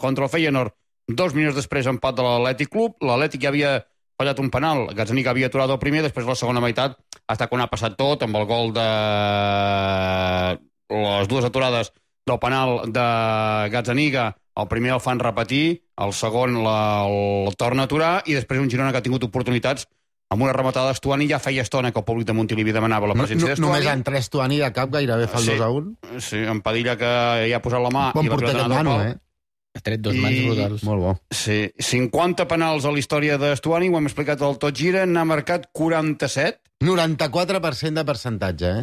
contra el Feyenoord, 2 minuts després empat de l'Atlètic Club, l'Atlètic ja havia fallat un penal, Gazzaniga havia aturat el primer, després la segona meitat, hasta quan ha passat tot, amb el gol de les 2 aturades del penal de Gazzaniga. El primer el fan repetir, el segon el torna a aturar, i després un Girona que ha tingut oportunitats amb una rematada d'Estuani. Ja feia estona que el públic de Montilivi demanava la presència d'Estuani. Només han 3 Estuani de cap, gairebé fa el 2-1. Sí, en Padilla, que ja ha posat la mà. Bon porter aquest Manu, Ha tret 2 mans brutals. Molt bo. Sí, 50 penals a la història d'Estuani, ho hem explicat al Tot Gira, n'ha marcat 47. 94% de percentatge,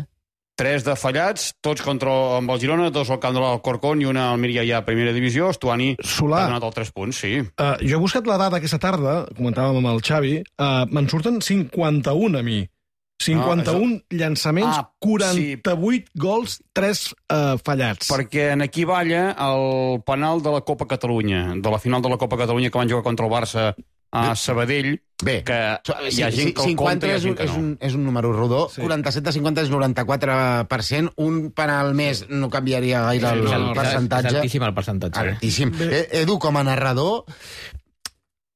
3 de fallats, tots amb el Girona, 2 al camp de l'Alcorcón i una al Almeria ja a primera divisió. Estuani ha donat els 3 punts, sí. Jo he buscat la data aquesta tarda, comentàvem amb el Xavi, me'n surten 51 a mi. 51 llançaments, 48 gols, 3 fallats. Perquè en aquí balla el penal de la Copa Catalunya, de la final de la Copa Catalunya que van jugar contra el Barça a Sabadell. Bé, que hi ha gent que el compta i hi ha gent que no. És un número rodó. 47 de 50 és 94%. Un penal més no canviaria gaire el percentatge. És altíssim el percentatge. Altíssim. Edu, com a narrador,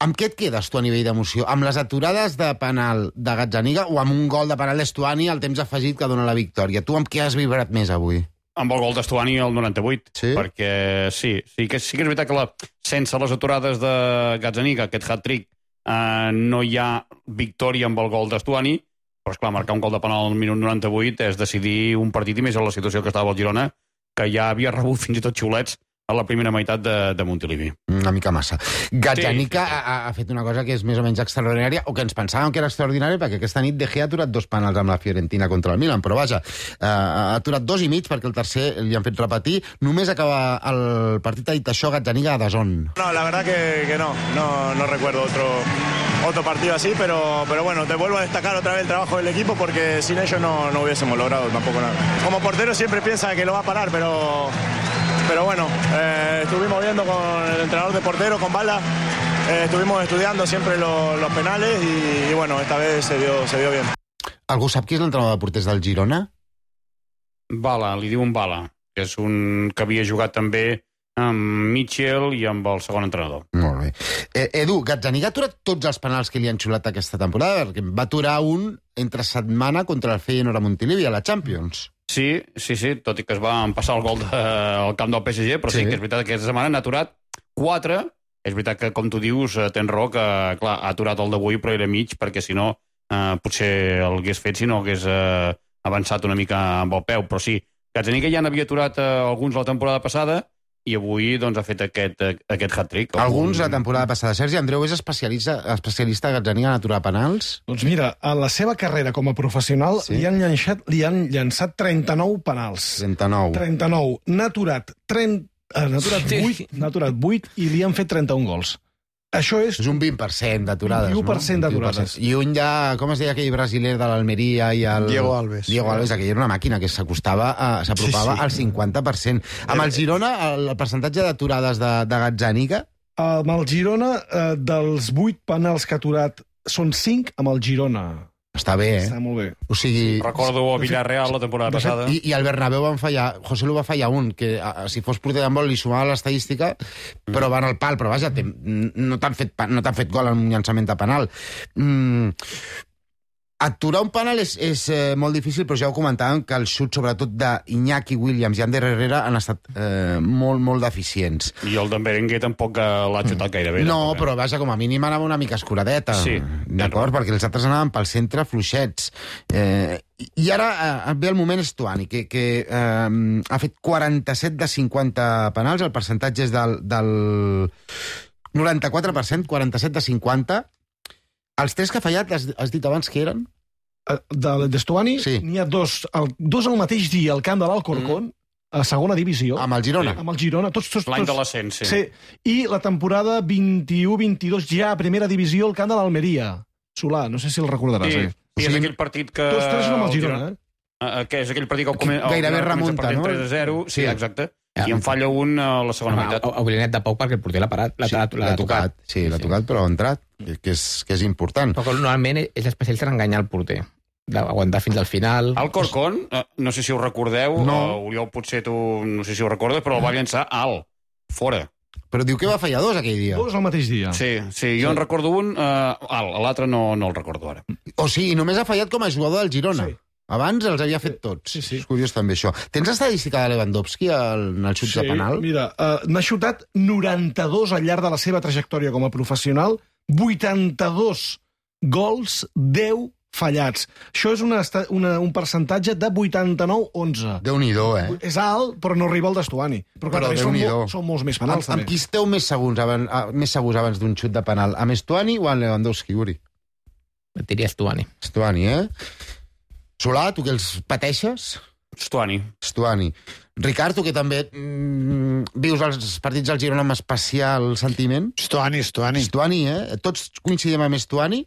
amb què et quedes tu a nivell d'emoció? Amb les aturades de penal de Gazzaniga o amb un gol de penal d'Estuani al temps afegit que dona la victòria? Tu amb què has vibrat més avui? Amb el gol d'Estuani al 98. Sí? Perquè sí que és veritat que sense les aturades de Gazzaniga, aquest hat-trick, no hi ha victòria amb el gol d'Estuani, però esclar, marcar un gol de penal al minut 98 és decidir un partit, i més en la situació que estava el Girona, que ja havia rebut fins i tot xiulets a la primera meitat de Montilivi. Una mica massa. Gazzaniga ha fet una cosa que és més o menys extraordinària, o que ens pensàvem que era extraordinària, perquè aquesta nit De Gea ha aturat 2 penals amb la Fiorentina contra el Milan, però vaja, ha aturat 2 i mig, perquè el tercer li han fet repetir. Només acaba el partit, ha dit això Gazzaniga a DAZN. No, la verdad que no recuerdo otro partido así, pero bueno, te vuelvo a destacar otra vez el trabajo del equipo, porque sin ellos no hubiésemos logrado tampoco nada. Como portero siempre piensa que lo va a parar, pero bueno, estuvimos viendo con el entrenador de portero, con Bala, estuvimos estudiando siempre los penales y bueno, esta vez se vio bien. Algú sap qui és l'entrenador de porters del Girona? Bala, li diuen Bala, que és un que havia jugat també amb Mitchell i amb el segon entrenador. Molt bé. Edu, Gazzaniga ha aturat tots els penals que li han xulat aquesta temporada, perquè va aturar un entre setmana contra el Feyenoord a Montilivi a la Champions. Sí, tot i que es va empassar el gol al camp del PSG, però sí que és veritat que aquesta setmana n'ha aturat 4. És veritat que, com tu dius, tens raó, que clar, ha aturat el d'avui, però era mig, perquè si no, potser el hagués fet si no hagués avançat una mica amb el peu. Però sí, Gazzaniga ja n'havia aturat alguns la temporada passada, i avui doncs, ha fet aquest hat-trick. Alguns la temporada passada. Sergi Andreu és especialista a Gazzaniga en aturar penals? Doncs mira, a la seva carrera com a professional li han llançat 39 penals. 39. N'ha aturat 8 i li han fet 31 gols. Això és un 20% d'aturades. 21% d'aturades. I un ja, com es deia aquell brasiler de l'Almeria i el... Diego Alves. Aquell era una màquina que s'apropava al 50%. Amb el Girona, el percentatge d'aturades de Gazzaniga? Amb el Girona, dels 8 penals que ha aturat, són 5 amb el Girona. Està bé, Està molt bé. O sigui... Recordo a Villarreal la temporada passada. I el Bernabéu van fallar... José Lu va fallar un, que si fos porter d'handbol li sumava l'estadística, però van al pal. Però vaja, no t'han fet gol en un llançament de penal. Aturar un penal és molt difícil, però ja ho comentàvem, que els xuts, sobretot d'Iñaki Williams i Ander Herrera, han estat molt, molt deficients. I el d'en Berenguer tampoc l'ha xutat gaire bé. No, però vaja, com a mínim anava una mica escuradeta. Sí. D'acord? Perquè els altres anaven pel centre fluixets. I ara ve el moment Stuani, que ha fet 47 de 50 penals, el percentatge és del 94%, 47 de 50. Els 3 que ha fallat, has dit abans que eren? D'Estuani, n'hi ha dos al mateix dia al camp de l'Alcorcón, a segona divisió. Amb el Girona. Amb el Girona, tots. L'any de l'ascens, sí. I la temporada 21-22 ja a primera divisió al camp de l'Almeria. Solà, no sé si el recordaràs. Sí, és aquell partit que... Tots 3 amb el Girona, que és aquell partit que gairebé remunta, no? 3-0, sí, exacte. I en falla un a la segona meitat. Oblidat de poc perquè el porter l'ha parat. L'ha tocat. Sí, l'ha tocat, però ha entrat, que és important. Però normalment és especialista en enganyar el porter. D'aguantar fins al final. El Corcón, no sé si ho recordeu, Oriol, potser tu no sé si ho recordes, però el va llançar alt, fora. Però diu que va fallar 2 aquell dia. 2 al mateix dia. Sí, jo en recordo un alt, l'altre no el recordo ara. O sigui, només ha fallat com a jugador del Girona. Sí. Abans els havia fet tots. Sí. És curiós també això. Tens estadística de Lewandowski en el xut de penal? Sí, mira, n'ha xutat 92 al llarg de la seva trajectòria com a professional, 82 gols, 10 fallats. Això és un percentatge de 89-11. Déu-n'hi-do, És alt, però no arriba al d'Estuani. Però clar, són molts més penals, també. Amb qui esteu més segurs abans d'un xut de penal? Amb Estuani o amb Lewandowski, Uri? Et diria Estuani. Estuani, Solà, tu que els pateixes? Stuani. Ricard, tu que també vius els partits del Girona amb especial sentiment? Stuani. Stuani, Tots coincidim amb Stuani?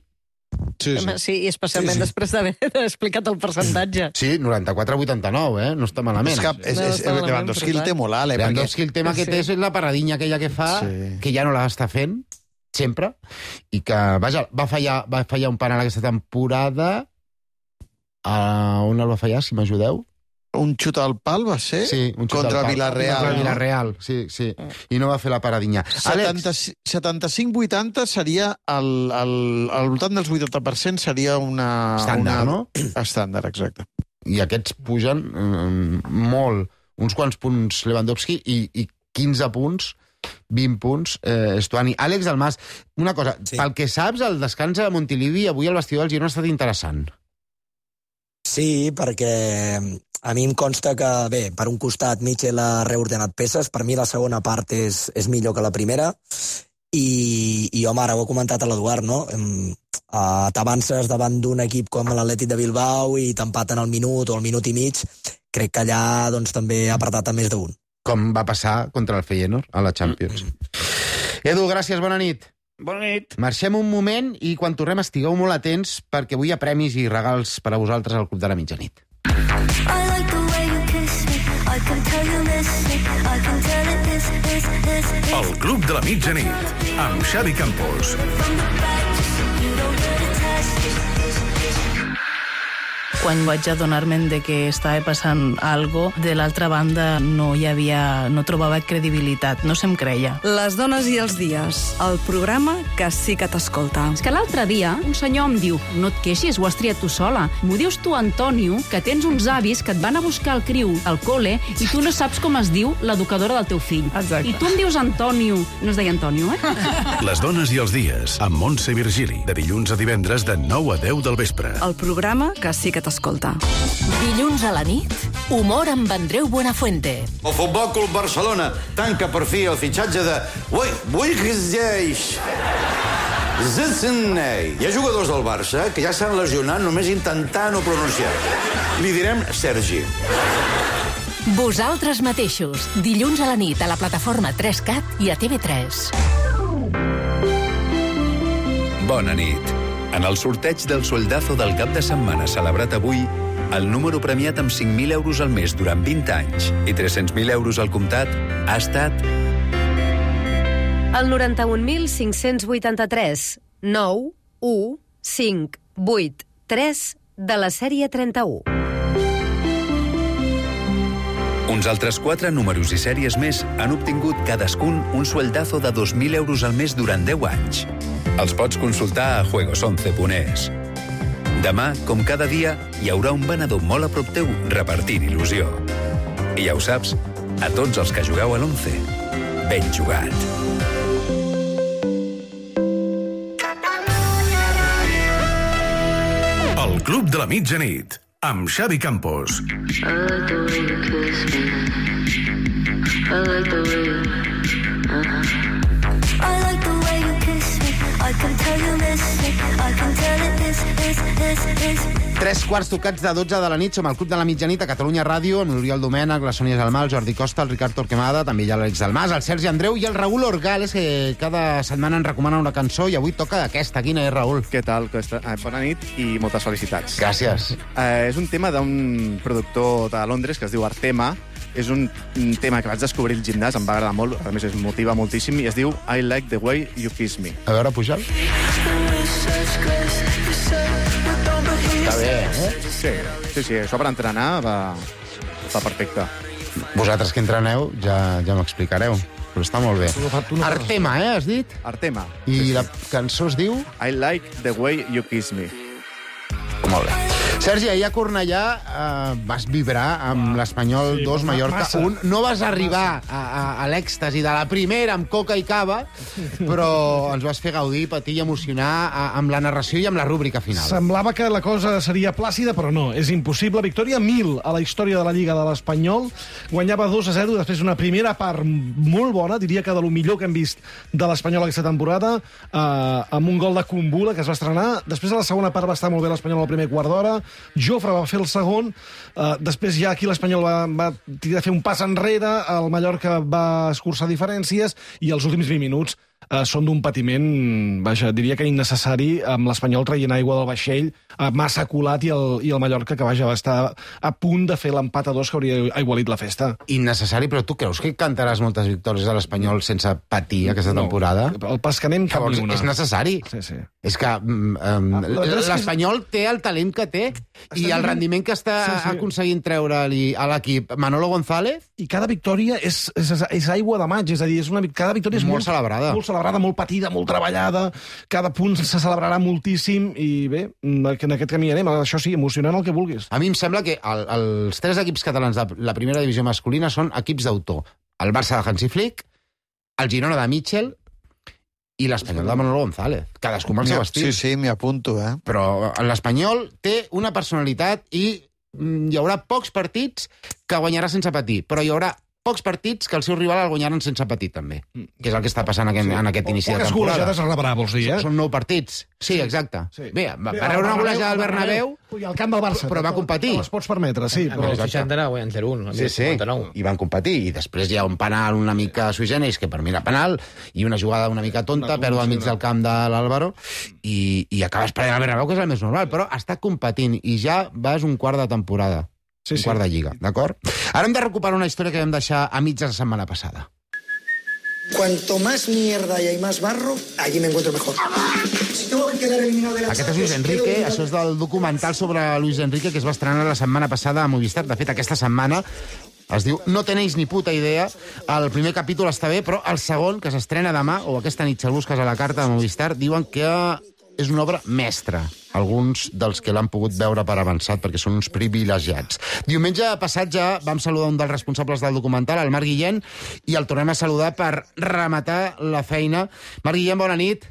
Sí, i especialment després d'haver explicat el percentatge. Sí, 94-89, no està malament. Lewandowski el té molt alt, Lewandowski el tema que té és la paradinya aquella que fa, que ja no l'està fent, sempre, i que, vaja, va fallar un penal aquesta temporada. On el va fallar, si m'ajudeu? Un xut al pal va ser? Sí, un xut contra al pal. Villarreal. Contra Villarreal, sí. I no va fer la paradinya. 75-80 seria al voltant dels 80% seria una... Estàndard, no? Estàndard, exacte. I aquests pugen molt. Uns quants punts Lewandowski i 15 punts 20 punts, Stuani. Àlex Dalmas, una cosa, pel que saps, el descans a Montilivi avui al vestidor del Girona ha estat interessant. Sí, perquè a mi em consta que, bé, per un costat Michel ha reordenat peces, per mi la segona part és millor que la primera, i home, ara ho ha comentat a l'Eduard, no? T'avances davant d'un equip com l'Atlètic de Bilbao i t'empaten al minut o al minut i mig, crec que allà doncs, també ha apretat a més d'un. Com va passar contra el Feyenoord a la Champions. Edu, gràcies, bona nit. Bona nit. Marxem un moment i quan tornem estigueu molt atents perquè avui hi ha premis i regals per a vosaltres al Club de la Mitjanit. El Club de la Mitjanit amb Xavi Campos. Quan vaig adonar-me'n de que estava passant algo, de l'altra banda no trobava credibilitat, no se'm creia. Les dones i els dies, el programa que sí que t'escolta. És que l'altre dia un senyor em diu: no et queixis, ho has triat tu sola. M'ho dius tu, Antonio, que tens uns avis que et van a buscar el criu al col·le i tu no saps com es diu l'educadora del teu fill. Exacte. I tu em dius Antonio. No es deia Antonio, Les dones i els dies, amb Montse Virgili, de dilluns a divendres de 9 a 10 del vespre. El programa que sí que t'escolta. l'escolta. Dilluns a la nit, humor amb Andreu Buenafuente. El Futbol Club Barcelona tanca per fi el fitxatge de Zitzenei. Hi ha jugadors del Barça que ja s'han lesionat només intentant no pronunciar. Li direm Sergi. Vosaltres mateixos, dilluns a la nit a la plataforma 3CAT i a TV3. Bona nit. En el sorteig del sueldazo del cap de setmana celebrat avui, el número premiat amb 5.000 euros al mes durant 20 anys i 300.000 euros al comptat ha estat... El 91.583 9 1 5 8 3 de la sèrie 31. Uns altres 4 números i sèries més han obtingut cadascun un sueldazo de 2.000 euros al mes durant 10 anys. Els pots consultar a juegos11.es. Demà, com cada dia, hi haurà un venedor molt a prop teu repartint il·lusió. I ja ho saps, a tots els que jugueu a l'11, ben jugat. El Club de la Mitjanit, amb Xavi Campos. Tres quarts tocats de 12 de la nit, som al Club de la Mitjanit a Catalunya Ràdio, amb l'Oriol Domènech, la Sònia Gelmà, el Jordi Costa, el Ricard Torquemada, també hi ha l'Àlex Dalmas, el Sergi Andreu i el Raül Orgales, que cada setmana ens recomana una cançó i avui toca aquesta. Quina és, Raül? Què tal? Bona nit i moltes felicitats. Gràcies. És un tema d'un productor de Londres que es diu Artema. És un tema que vaig descobrir al gimnàs, em va agradar molt, a més es motiva moltíssim, i es diu I Like the Way You Kiss Me. A veure, puja'l. Està bé, Sí, això per entrenar va perfecte. Vosaltres que entreneu ja m'explicareu, però està molt bé. Artema, has dit? Artema. I la cançó es diu? I Like the Way You Kiss Me. Molt bé. Sergi, ahir a Cornellà vas vibrar amb l'Espanyol 2, Mallorca 1. No vas arribar a l'èxtasi de la primera amb coca i cava, però ens vas fer gaudir, patir i emocionar amb la narració i amb la rúbrica final. Semblava que la cosa seria plàcida, però no, és impossible. Victòria 1000 a la història de la Lliga de l'Espanyol. Guanyava 2-0 després d'una primera part molt bona, diria que de lo millor que hem vist de l'Espanyol aquesta temporada, amb un gol de Kumbula que es va estrenar. Després de la segona part va estar molt bé l'Espanyol al primer quart d'hora. Jofre va fer el segon, després ja aquí l'Espanyol va fer un pas enrere, el Mallorca va escurçar diferències i els últims 20 minuts són d'un patiment, vaja, diria que innecessari, amb l'Espanyol traient aigua del vaixell, massa colat, i el Mallorca, que vaja, va estar a punt de fer l'empat a 2 que hauria aigualit la festa. Innecessari, però tu creus que cantaràs moltes victòries a l'Espanyol sense patir aquesta temporada? El pas que anem cap ni una. És necessari. Sí. És que l'Espanyol té el talent que té i el rendiment que està aconseguint treure-li a l'equip Manolo González. I cada victòria és aigua de maig, és a dir, cada victòria és molt celebrada. Molt celebrada, molt patida, molt treballada, cada punt se celebrarà moltíssim i bé, en aquest camí anem, això sí, emocionant el que vulguis. A mi em sembla que els 3 equips catalans de la primera divisió masculina són equips d'autor. El Barça de Hansi Flick, el Girona de Mitchell i l'Espanyol de Manolo González. Cadascú amb el seu estil. Sí, m'hi apunto, Però l'Espanyol té una personalitat i hi haurà pocs partits que guanyarà sense patir, però hi haurà pocs partits que el seu rival el guanyaran sense patir, també. Que és el que està passant en aquest inici de temporada. Poques golejades a rebrà, vols dir, Són 9 partits. Sí, exacte. Bé, va rebre una golejada al Bernabéu, i al camp del Barça, però va competir. Les pots permetre, sí. Però el 60 anava guanyant 0-1. Sí, i van competir. I després hi ha un penal una mica sui generis, que per mi era penal, i una jugada una mica tonta, perd al mig del camp de l'Álvaro, i acabes perdent el Bernabéu, que és el més normal, però està competint, i ja vas un quart de temporada. Un quart de lliga, d'acord? Ara hem de recuperar una història que vam deixar a mitja la setmana passada. Cuanto más mierda y hay más barro, allí me encuentro mejor. Si tengo que quedar eliminado de la Aquest és Luis Enrique, això és del documental sobre Luis Enrique que es va estrenar la setmana passada a Movistar. De fet, aquesta setmana es diu No tenéis ni puta idea. El primer capítol està bé, però el segon, que s'estrena demà, o aquesta nit, si el busques a la carta de Movistar, diuen que és una obra mestra. Alguns dels que l'han pogut veure per avançat, perquè són uns privilegiats. Diumenge passat ja vam saludar un dels responsables del documental, el Marc Guillén, i el tornem a saludar per rematar la feina. Marc Guillén, bona nit.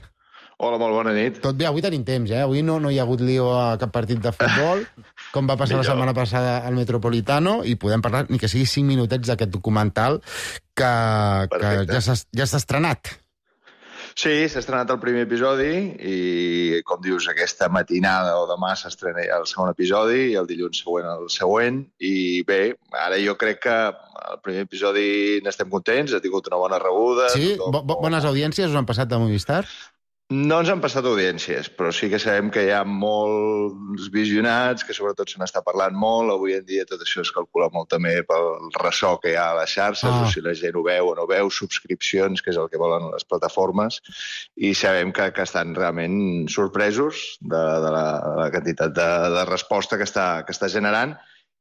Hola, molt bona nit. Tot bé, avui tenim temps, Avui no hi ha hagut lío a cap partit de futbol. com va passar la setmana passada al Metropolitano, i podem parlar, ni que sigui 5 minutets d'aquest documental que ja s'ha estrenat. Sí, s'ha estrenat el primer episodi i, com dius, aquesta matinada o demà s'estrena el segon episodi i el dilluns següent el següent. I bé, ara jo crec que el primer episodi n'estem contents, ha tingut una bona rebuda. Sí? Bones audiències us han passat de Movistar? No ens han passat audiències, però sí que sabem que hi ha molts visionats, que sobretot se n'està parlant molt. Avui en dia tot això es calcula molt també pel ressò que hi ha a les xarxes, o si la gent ho veu o no veu, subscripcions, que és el que volen les plataformes, i sabem que estan realment sorpresos de la quantitat de resposta que està generant,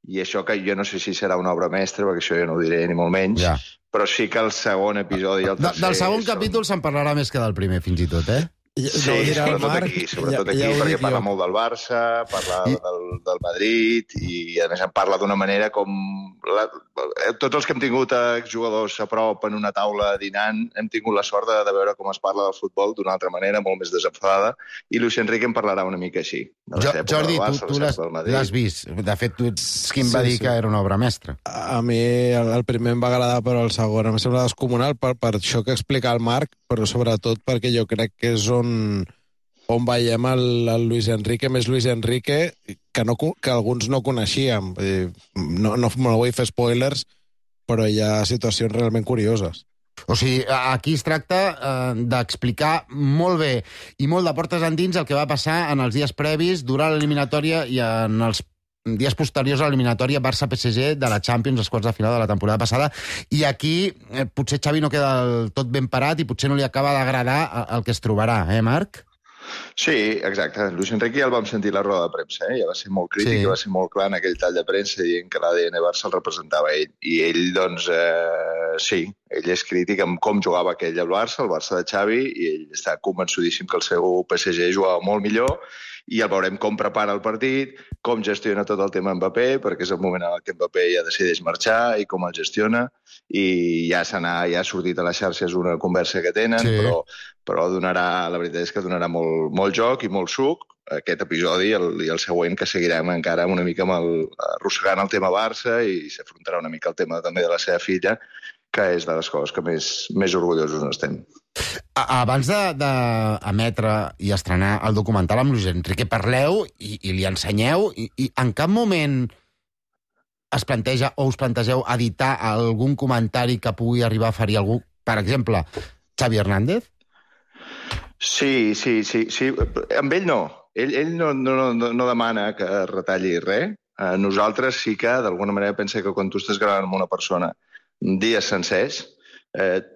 i això que jo no sé si serà una obra mestra, perquè això jo no ho diré ni molt menys, però sí que el segon episodi i el tercer... Del segon capítol se'n parlarà més que del primer, fins i tot, eh? Sí, sobretot aquí, perquè parla molt del Barça, parla del Madrid, i a més en parla d'una manera com... Tots els que hem tingut exjugadors a prop en una taula dinant hem tingut la sort de veure com es parla del futbol d'una altra manera, molt més desenfadada, i Luis Enrique en parlarà una mica així. Jordi, tu l'has vist. De fet, tu ets qui em va dir que era una obra mestra. A mi el primer em va agradar, però el segon em sembla descomunal per això que explica el Marc, però sobretot perquè jo crec que és on veiem el Luis Enrique, més Luis Enrique, que alguns no coneixíem. No vull fer spoilers, però hi ha situacions realment curioses. O sigui, aquí es tracta d'explicar molt bé i molt de portes endins el que va passar en els dies previs, durant l'eliminatòria i en els dies posteriors a l'eliminatòria Barça-PSG de la Champions, els quarts de final de la temporada passada, i aquí potser Xavi no queda del tot ben parat i potser no li acaba d'agradar el que es trobarà, Marc? Sí, exacte. Luis Enrique ja el vam sentir a la roda de premsa, ja va ser molt crític, va ser molt clar en aquell tall de premsa dient que l'ADN Barça el representava ell. I ell, doncs, sí, ell és crític amb com jugava aquell al Barça, el Barça de Xavi, i ell està convençudíssim que el seu PSG jugava molt millor, i el veurem com prepara el partit, com gestiona tot el tema Mbappé, perquè és el moment en què Mbappé ja decideix marxar i com el gestiona, i ja ha sortit a les xarxes una conversa que tenen, però donarà, la veritat és que donarà molt joc i molt suc, aquest episodi i el següent, que seguirem encara una mica arrossegant el tema Barça i s'afrontarà una mica el tema també de la seva filla, que és de les coses que més orgullosos estem. Abans d'emetre i estrenar el documental amb Luis Enrique, parleu i li ensenyeu, i en cap moment es planteja o us plantegeu editar algun comentari que pugui arribar a ferir algú, per exemple, Xavi Hernández? Sí. Amb ell no. Ell no demana que retalli res. Nosaltres sí que, d'alguna manera, pensa que quan tu estàs gravant amb una persona dies sencers,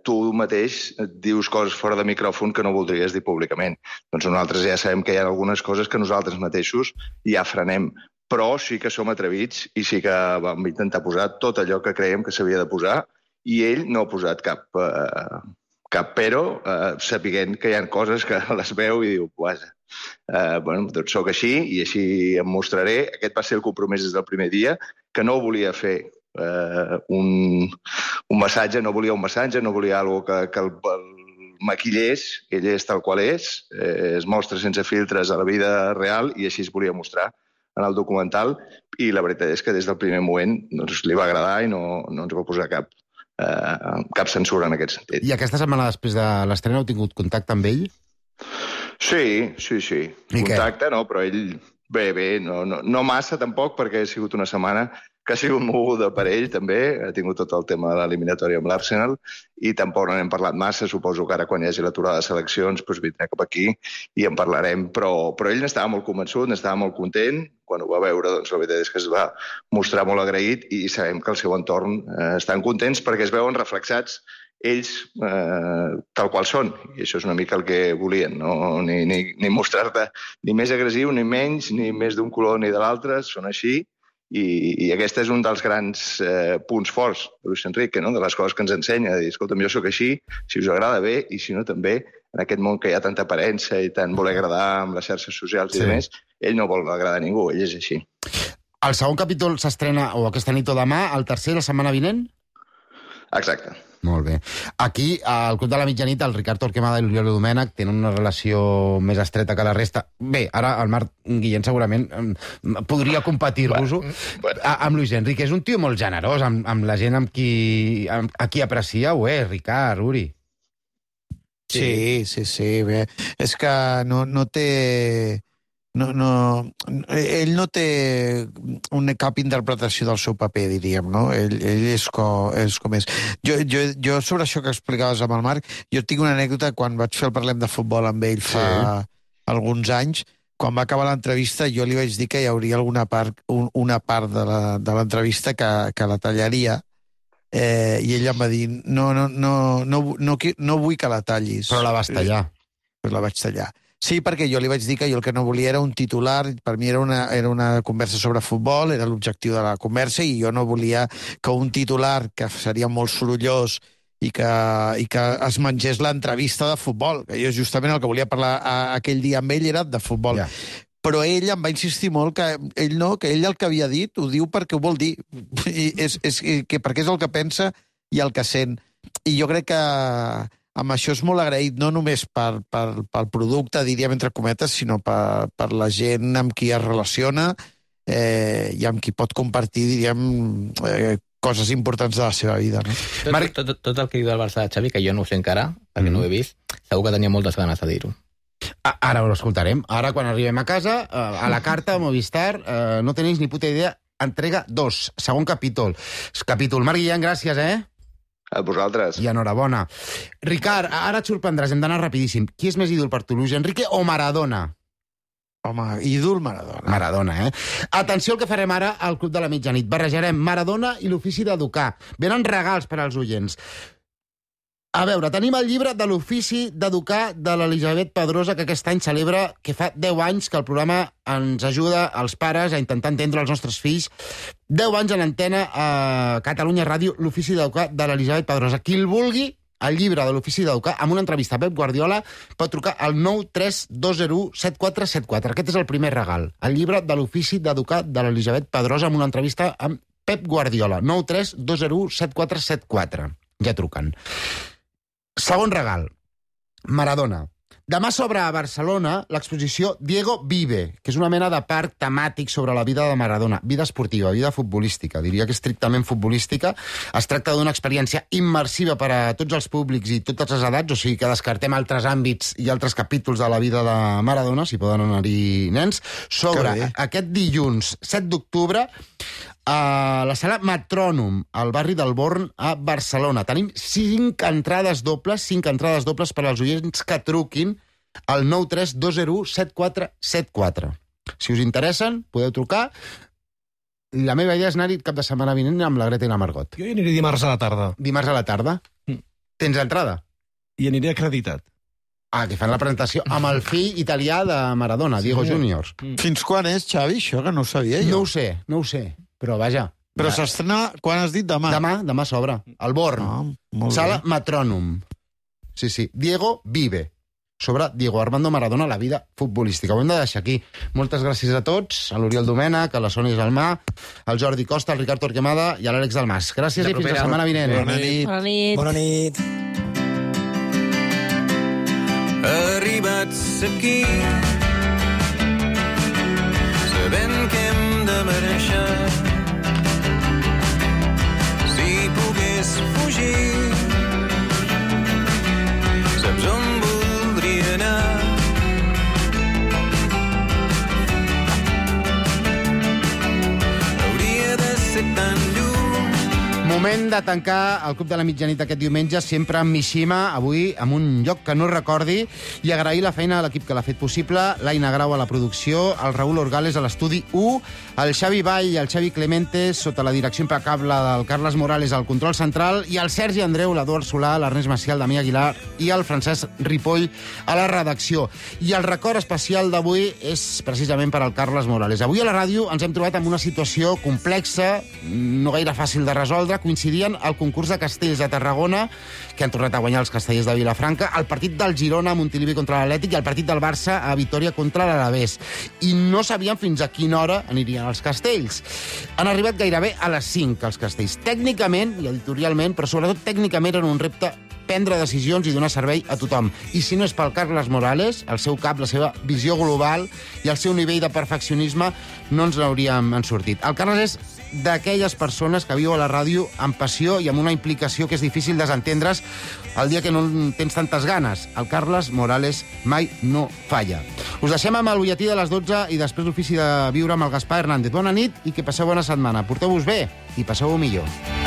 tu mateix dius coses fora de micròfon que no voldries dir públicament. Doncs nosaltres ja sabem que hi ha algunes coses que nosaltres mateixos ja frenem, però sí que som atrevits i sí que vam intentar posar tot allò que creiem que s'havia de posar, i ell no ha posat cap però, sapiguent que hi ha coses que les veu i diu, vaja, doncs soc així i així em mostraré. Aquest va ser el compromís des del primer dia, que no volia fer un massatge, no volia un massatge, no volia alguna que el maquillés, ell és tal qual és, es mostra sense filtres a la vida real i així es volia mostrar en el documental, i la veritat és que des del primer moment li va agradar i no ens va posar cap censura en aquest sentit. I aquesta setmana després de l'estrena heu tingut contacte amb ell? Sí. Contacte, no, però ell bé, no massa tampoc, perquè ha sigut una setmana que ha sigut moguda per ell, també. Ha tingut tot el tema de l'eliminatòria amb l'Arsenal i tampoc no n'hem parlat massa. Suposo que ara, quan hi hagi l'aturada de seleccions, doncs vindrà cap aquí i en parlarem. Però ell n'estava molt convençut, n'estava molt content. Quan ho va veure, doncs la veritat és que es va mostrar molt agraït, i sabem que al seu entorn estan contents perquè es veuen reflexats ells tal qual són, i això és una mica el que volien, no? Ni mostrar-te ni més agressiu, ni menys, ni més d'un color ni de l'altre, són així. I aquest és un dels grans punts forts de Luis Enrique, no? De les coses que ens ensenya, de dir, escolta'm, jo sóc així, si us agrada bé, i si no també, en aquest món que hi ha tanta aparença i tant voler agradar amb les xarxes socials i demés, ell no vol agradar a ningú, ell és així. El segon capítol s'estrena o aquesta nit o demà, el tercer la setmana vinent? Exacte. Molt bé. Aquí, al Club de la Mitjanit, el Ricard Torquemada i l'Oriol Domènech tenen una relació més estreta que la resta. Bé, ara el Marc Guillén segurament podria competir-vos-ho. Amb Luis Enrique. És un tio molt generós, amb la gent a qui aprecieu, Ricard, Uri. Sí, bé. És que no té... ell no té cap interpretació del seu paper, diríem, no? Ell és com és. Jo sobre això que explicaves amb el Marc, jo tinc una anècdota quan vaig fer el Parlem de Futbol amb ell fa alguns anys. Quan va acabar l'entrevista jo li vaig dir que hi hauria una part de l'entrevista que la tallaria, i ell em va dir no vull que la tallis. Però la vas tallar. Però la vaig tallar. Sí, perquè jo li vaig dir que jo el que no volia era un titular, per mi era una conversa sobre futbol, era l'objectiu de la conversa, i jo no volia que un titular que seria molt sorollós i que es mengés l'entrevista de futbol, que jo justament el que volia parlar aquell dia amb ell era de futbol. Yeah. Però ell em va insistir molt que ell el que havia dit ho diu perquè ho vol dir, perquè és el que pensa i el que sent. I jo crec que amb això és molt agraït, no només pel producte, diríem entre cometes, sinó per la gent amb qui es relaciona i amb qui pot compartir, diríem, coses importants de la seva vida. No? Tot el que diu del Barça de Xavi, que jo no ho sé encara, perquè no ho he vist, segur que tenia moltes ganes de dir-ho. Ara ho escoltarem. Ara, quan arribem a casa, a la carta, a Movistar, no tenéis ni puta idea, entrega 2, segon capítol. Marc Guillén, gràcies, A vosaltres. I enhorabona. Ricard, ara et sorprendràs, hem d'anar rapidíssim. Qui és més ídol per tu, Luis Enrique o Maradona? Home, ídol Maradona. Maradona, Atenció al que farem ara al Club de la Mitjanit. Barrejarem Maradona i l'ofici d'educar. Venen regals per als oients. A veure, tenim el llibre de l'ofici d'educar de l'Elisabet Pedrosa, que aquest any celebra que fa 10 anys que el programa ens ajuda als pares a intentar entendre els nostres fills. 10 anys en antena a Catalunya Ràdio, l'ofici d'educar de l'Elisabet Pedrosa. Qui el vulgui, el llibre de l'ofici d'educar, amb una entrevista a Pep Guardiola, pot trucar al 932017474. Aquest és el primer regal. El llibre de l'ofici d'educar de l'Elisabet Pedrosa amb una entrevista amb Pep Guardiola. 932017474. Ja truquen. Segon regal, Maradona. Demà s'obre a Barcelona l'exposició Diego Vive, que és una mena de parc temàtic sobre la vida de Maradona. Vida esportiva, vida futbolística. Diria que estrictament futbolística. Es tracta d'una experiència immersiva per a tots els públics i totes les edats, o sigui que descartem altres àmbits i altres capítols de la vida de Maradona, si poden anar-hi nens. S'obre aquest dilluns 7 d'octubre a la sala Metrònom, al barri del Born, a Barcelona. Tenim 5 entrades dobles per als oients que truquin al 932017474. Si us interessen, podeu trucar. La meva idea és anar-hi cap de setmana vinent amb la Greta i la Margot. Jo hi aniré dimarts a la tarda. Dimarts a la tarda? Tens entrada? I aniré acreditat. Que fan la presentació amb el fill italià de Maradona, Diego Junior. Fins quan és, Xavi, això, que no ho sabia jo? No ho sé. Però vaja. Però s'estrena, quan has dit, demà? Demà s'obre. Al Born. Sala Metrònom. Sí. Diego Vive. Sobre Diego Armando Maradona, la vida futbolística. Ho hem de deixar aquí. Moltes gràcies a tots, a l'Oriol Domènech, a la Sònia Gelmà, al Jordi Costa, al Ricard Torquemada i a l'Àlex Dalmas. Gràcies i fins la setmana vinent. Bona nit. Arribats aquí, sabent que hem de marxar. Si pogués fugir, saps on voldria anar? Hauria de ser tan lluny. Moment de tancar el Club de la Mitjanit aquest diumenge, sempre amb Mishima, avui amb un lloc que no recordi, i agrair la feina a l'equip que l'ha fet possible, l'Aina Grau a la producció, el Raül Orgales a l'estudi 1, el Xavi Vall i el Xavi Clementes sota la direcció impecable del Carles Morales al control central, i el Sergi Andreu, l'Eduard Solà, l'Ernest Macià, el Damià Aguilar i el Francesc Ripoll a la redacció. I el record especial d'avui és precisament per al Carles Morales. Avui a la ràdio ens hem trobat amb una situació complexa, no gaire fàcil de resoldre, coincidint anirien al concurs de castells de Tarragona, que han tornat a guanyar els castellers de Vilafranca, el partit del Girona a Montilivi contra l'Atlètic i el partit del Barça a Vitòria contra l'Alavés. I no sabien fins a quina hora anirien els castells. Han arribat gairebé a les 5, els castells. Tècnicament i editorialment, però sobretot tècnicament, era un repte prendre decisions i donar servei a tothom. I si no és pel Carles Morales, el seu cap, la seva visió global i el seu nivell de perfeccionisme, no ens n'hauríem sortit. El Carles és d'aquelles persones que viu a la ràdio amb passió i amb una implicació que és difícil desentendre's el dia que no tens tantes ganes. El Carles Morales mai no falla. Us deixem amb el butlletí de les 12 i després l'ofici de viure amb el Gaspar Hernández. Bona nit i que passeu bona setmana. Porteu-vos bé i passeu-ho millor.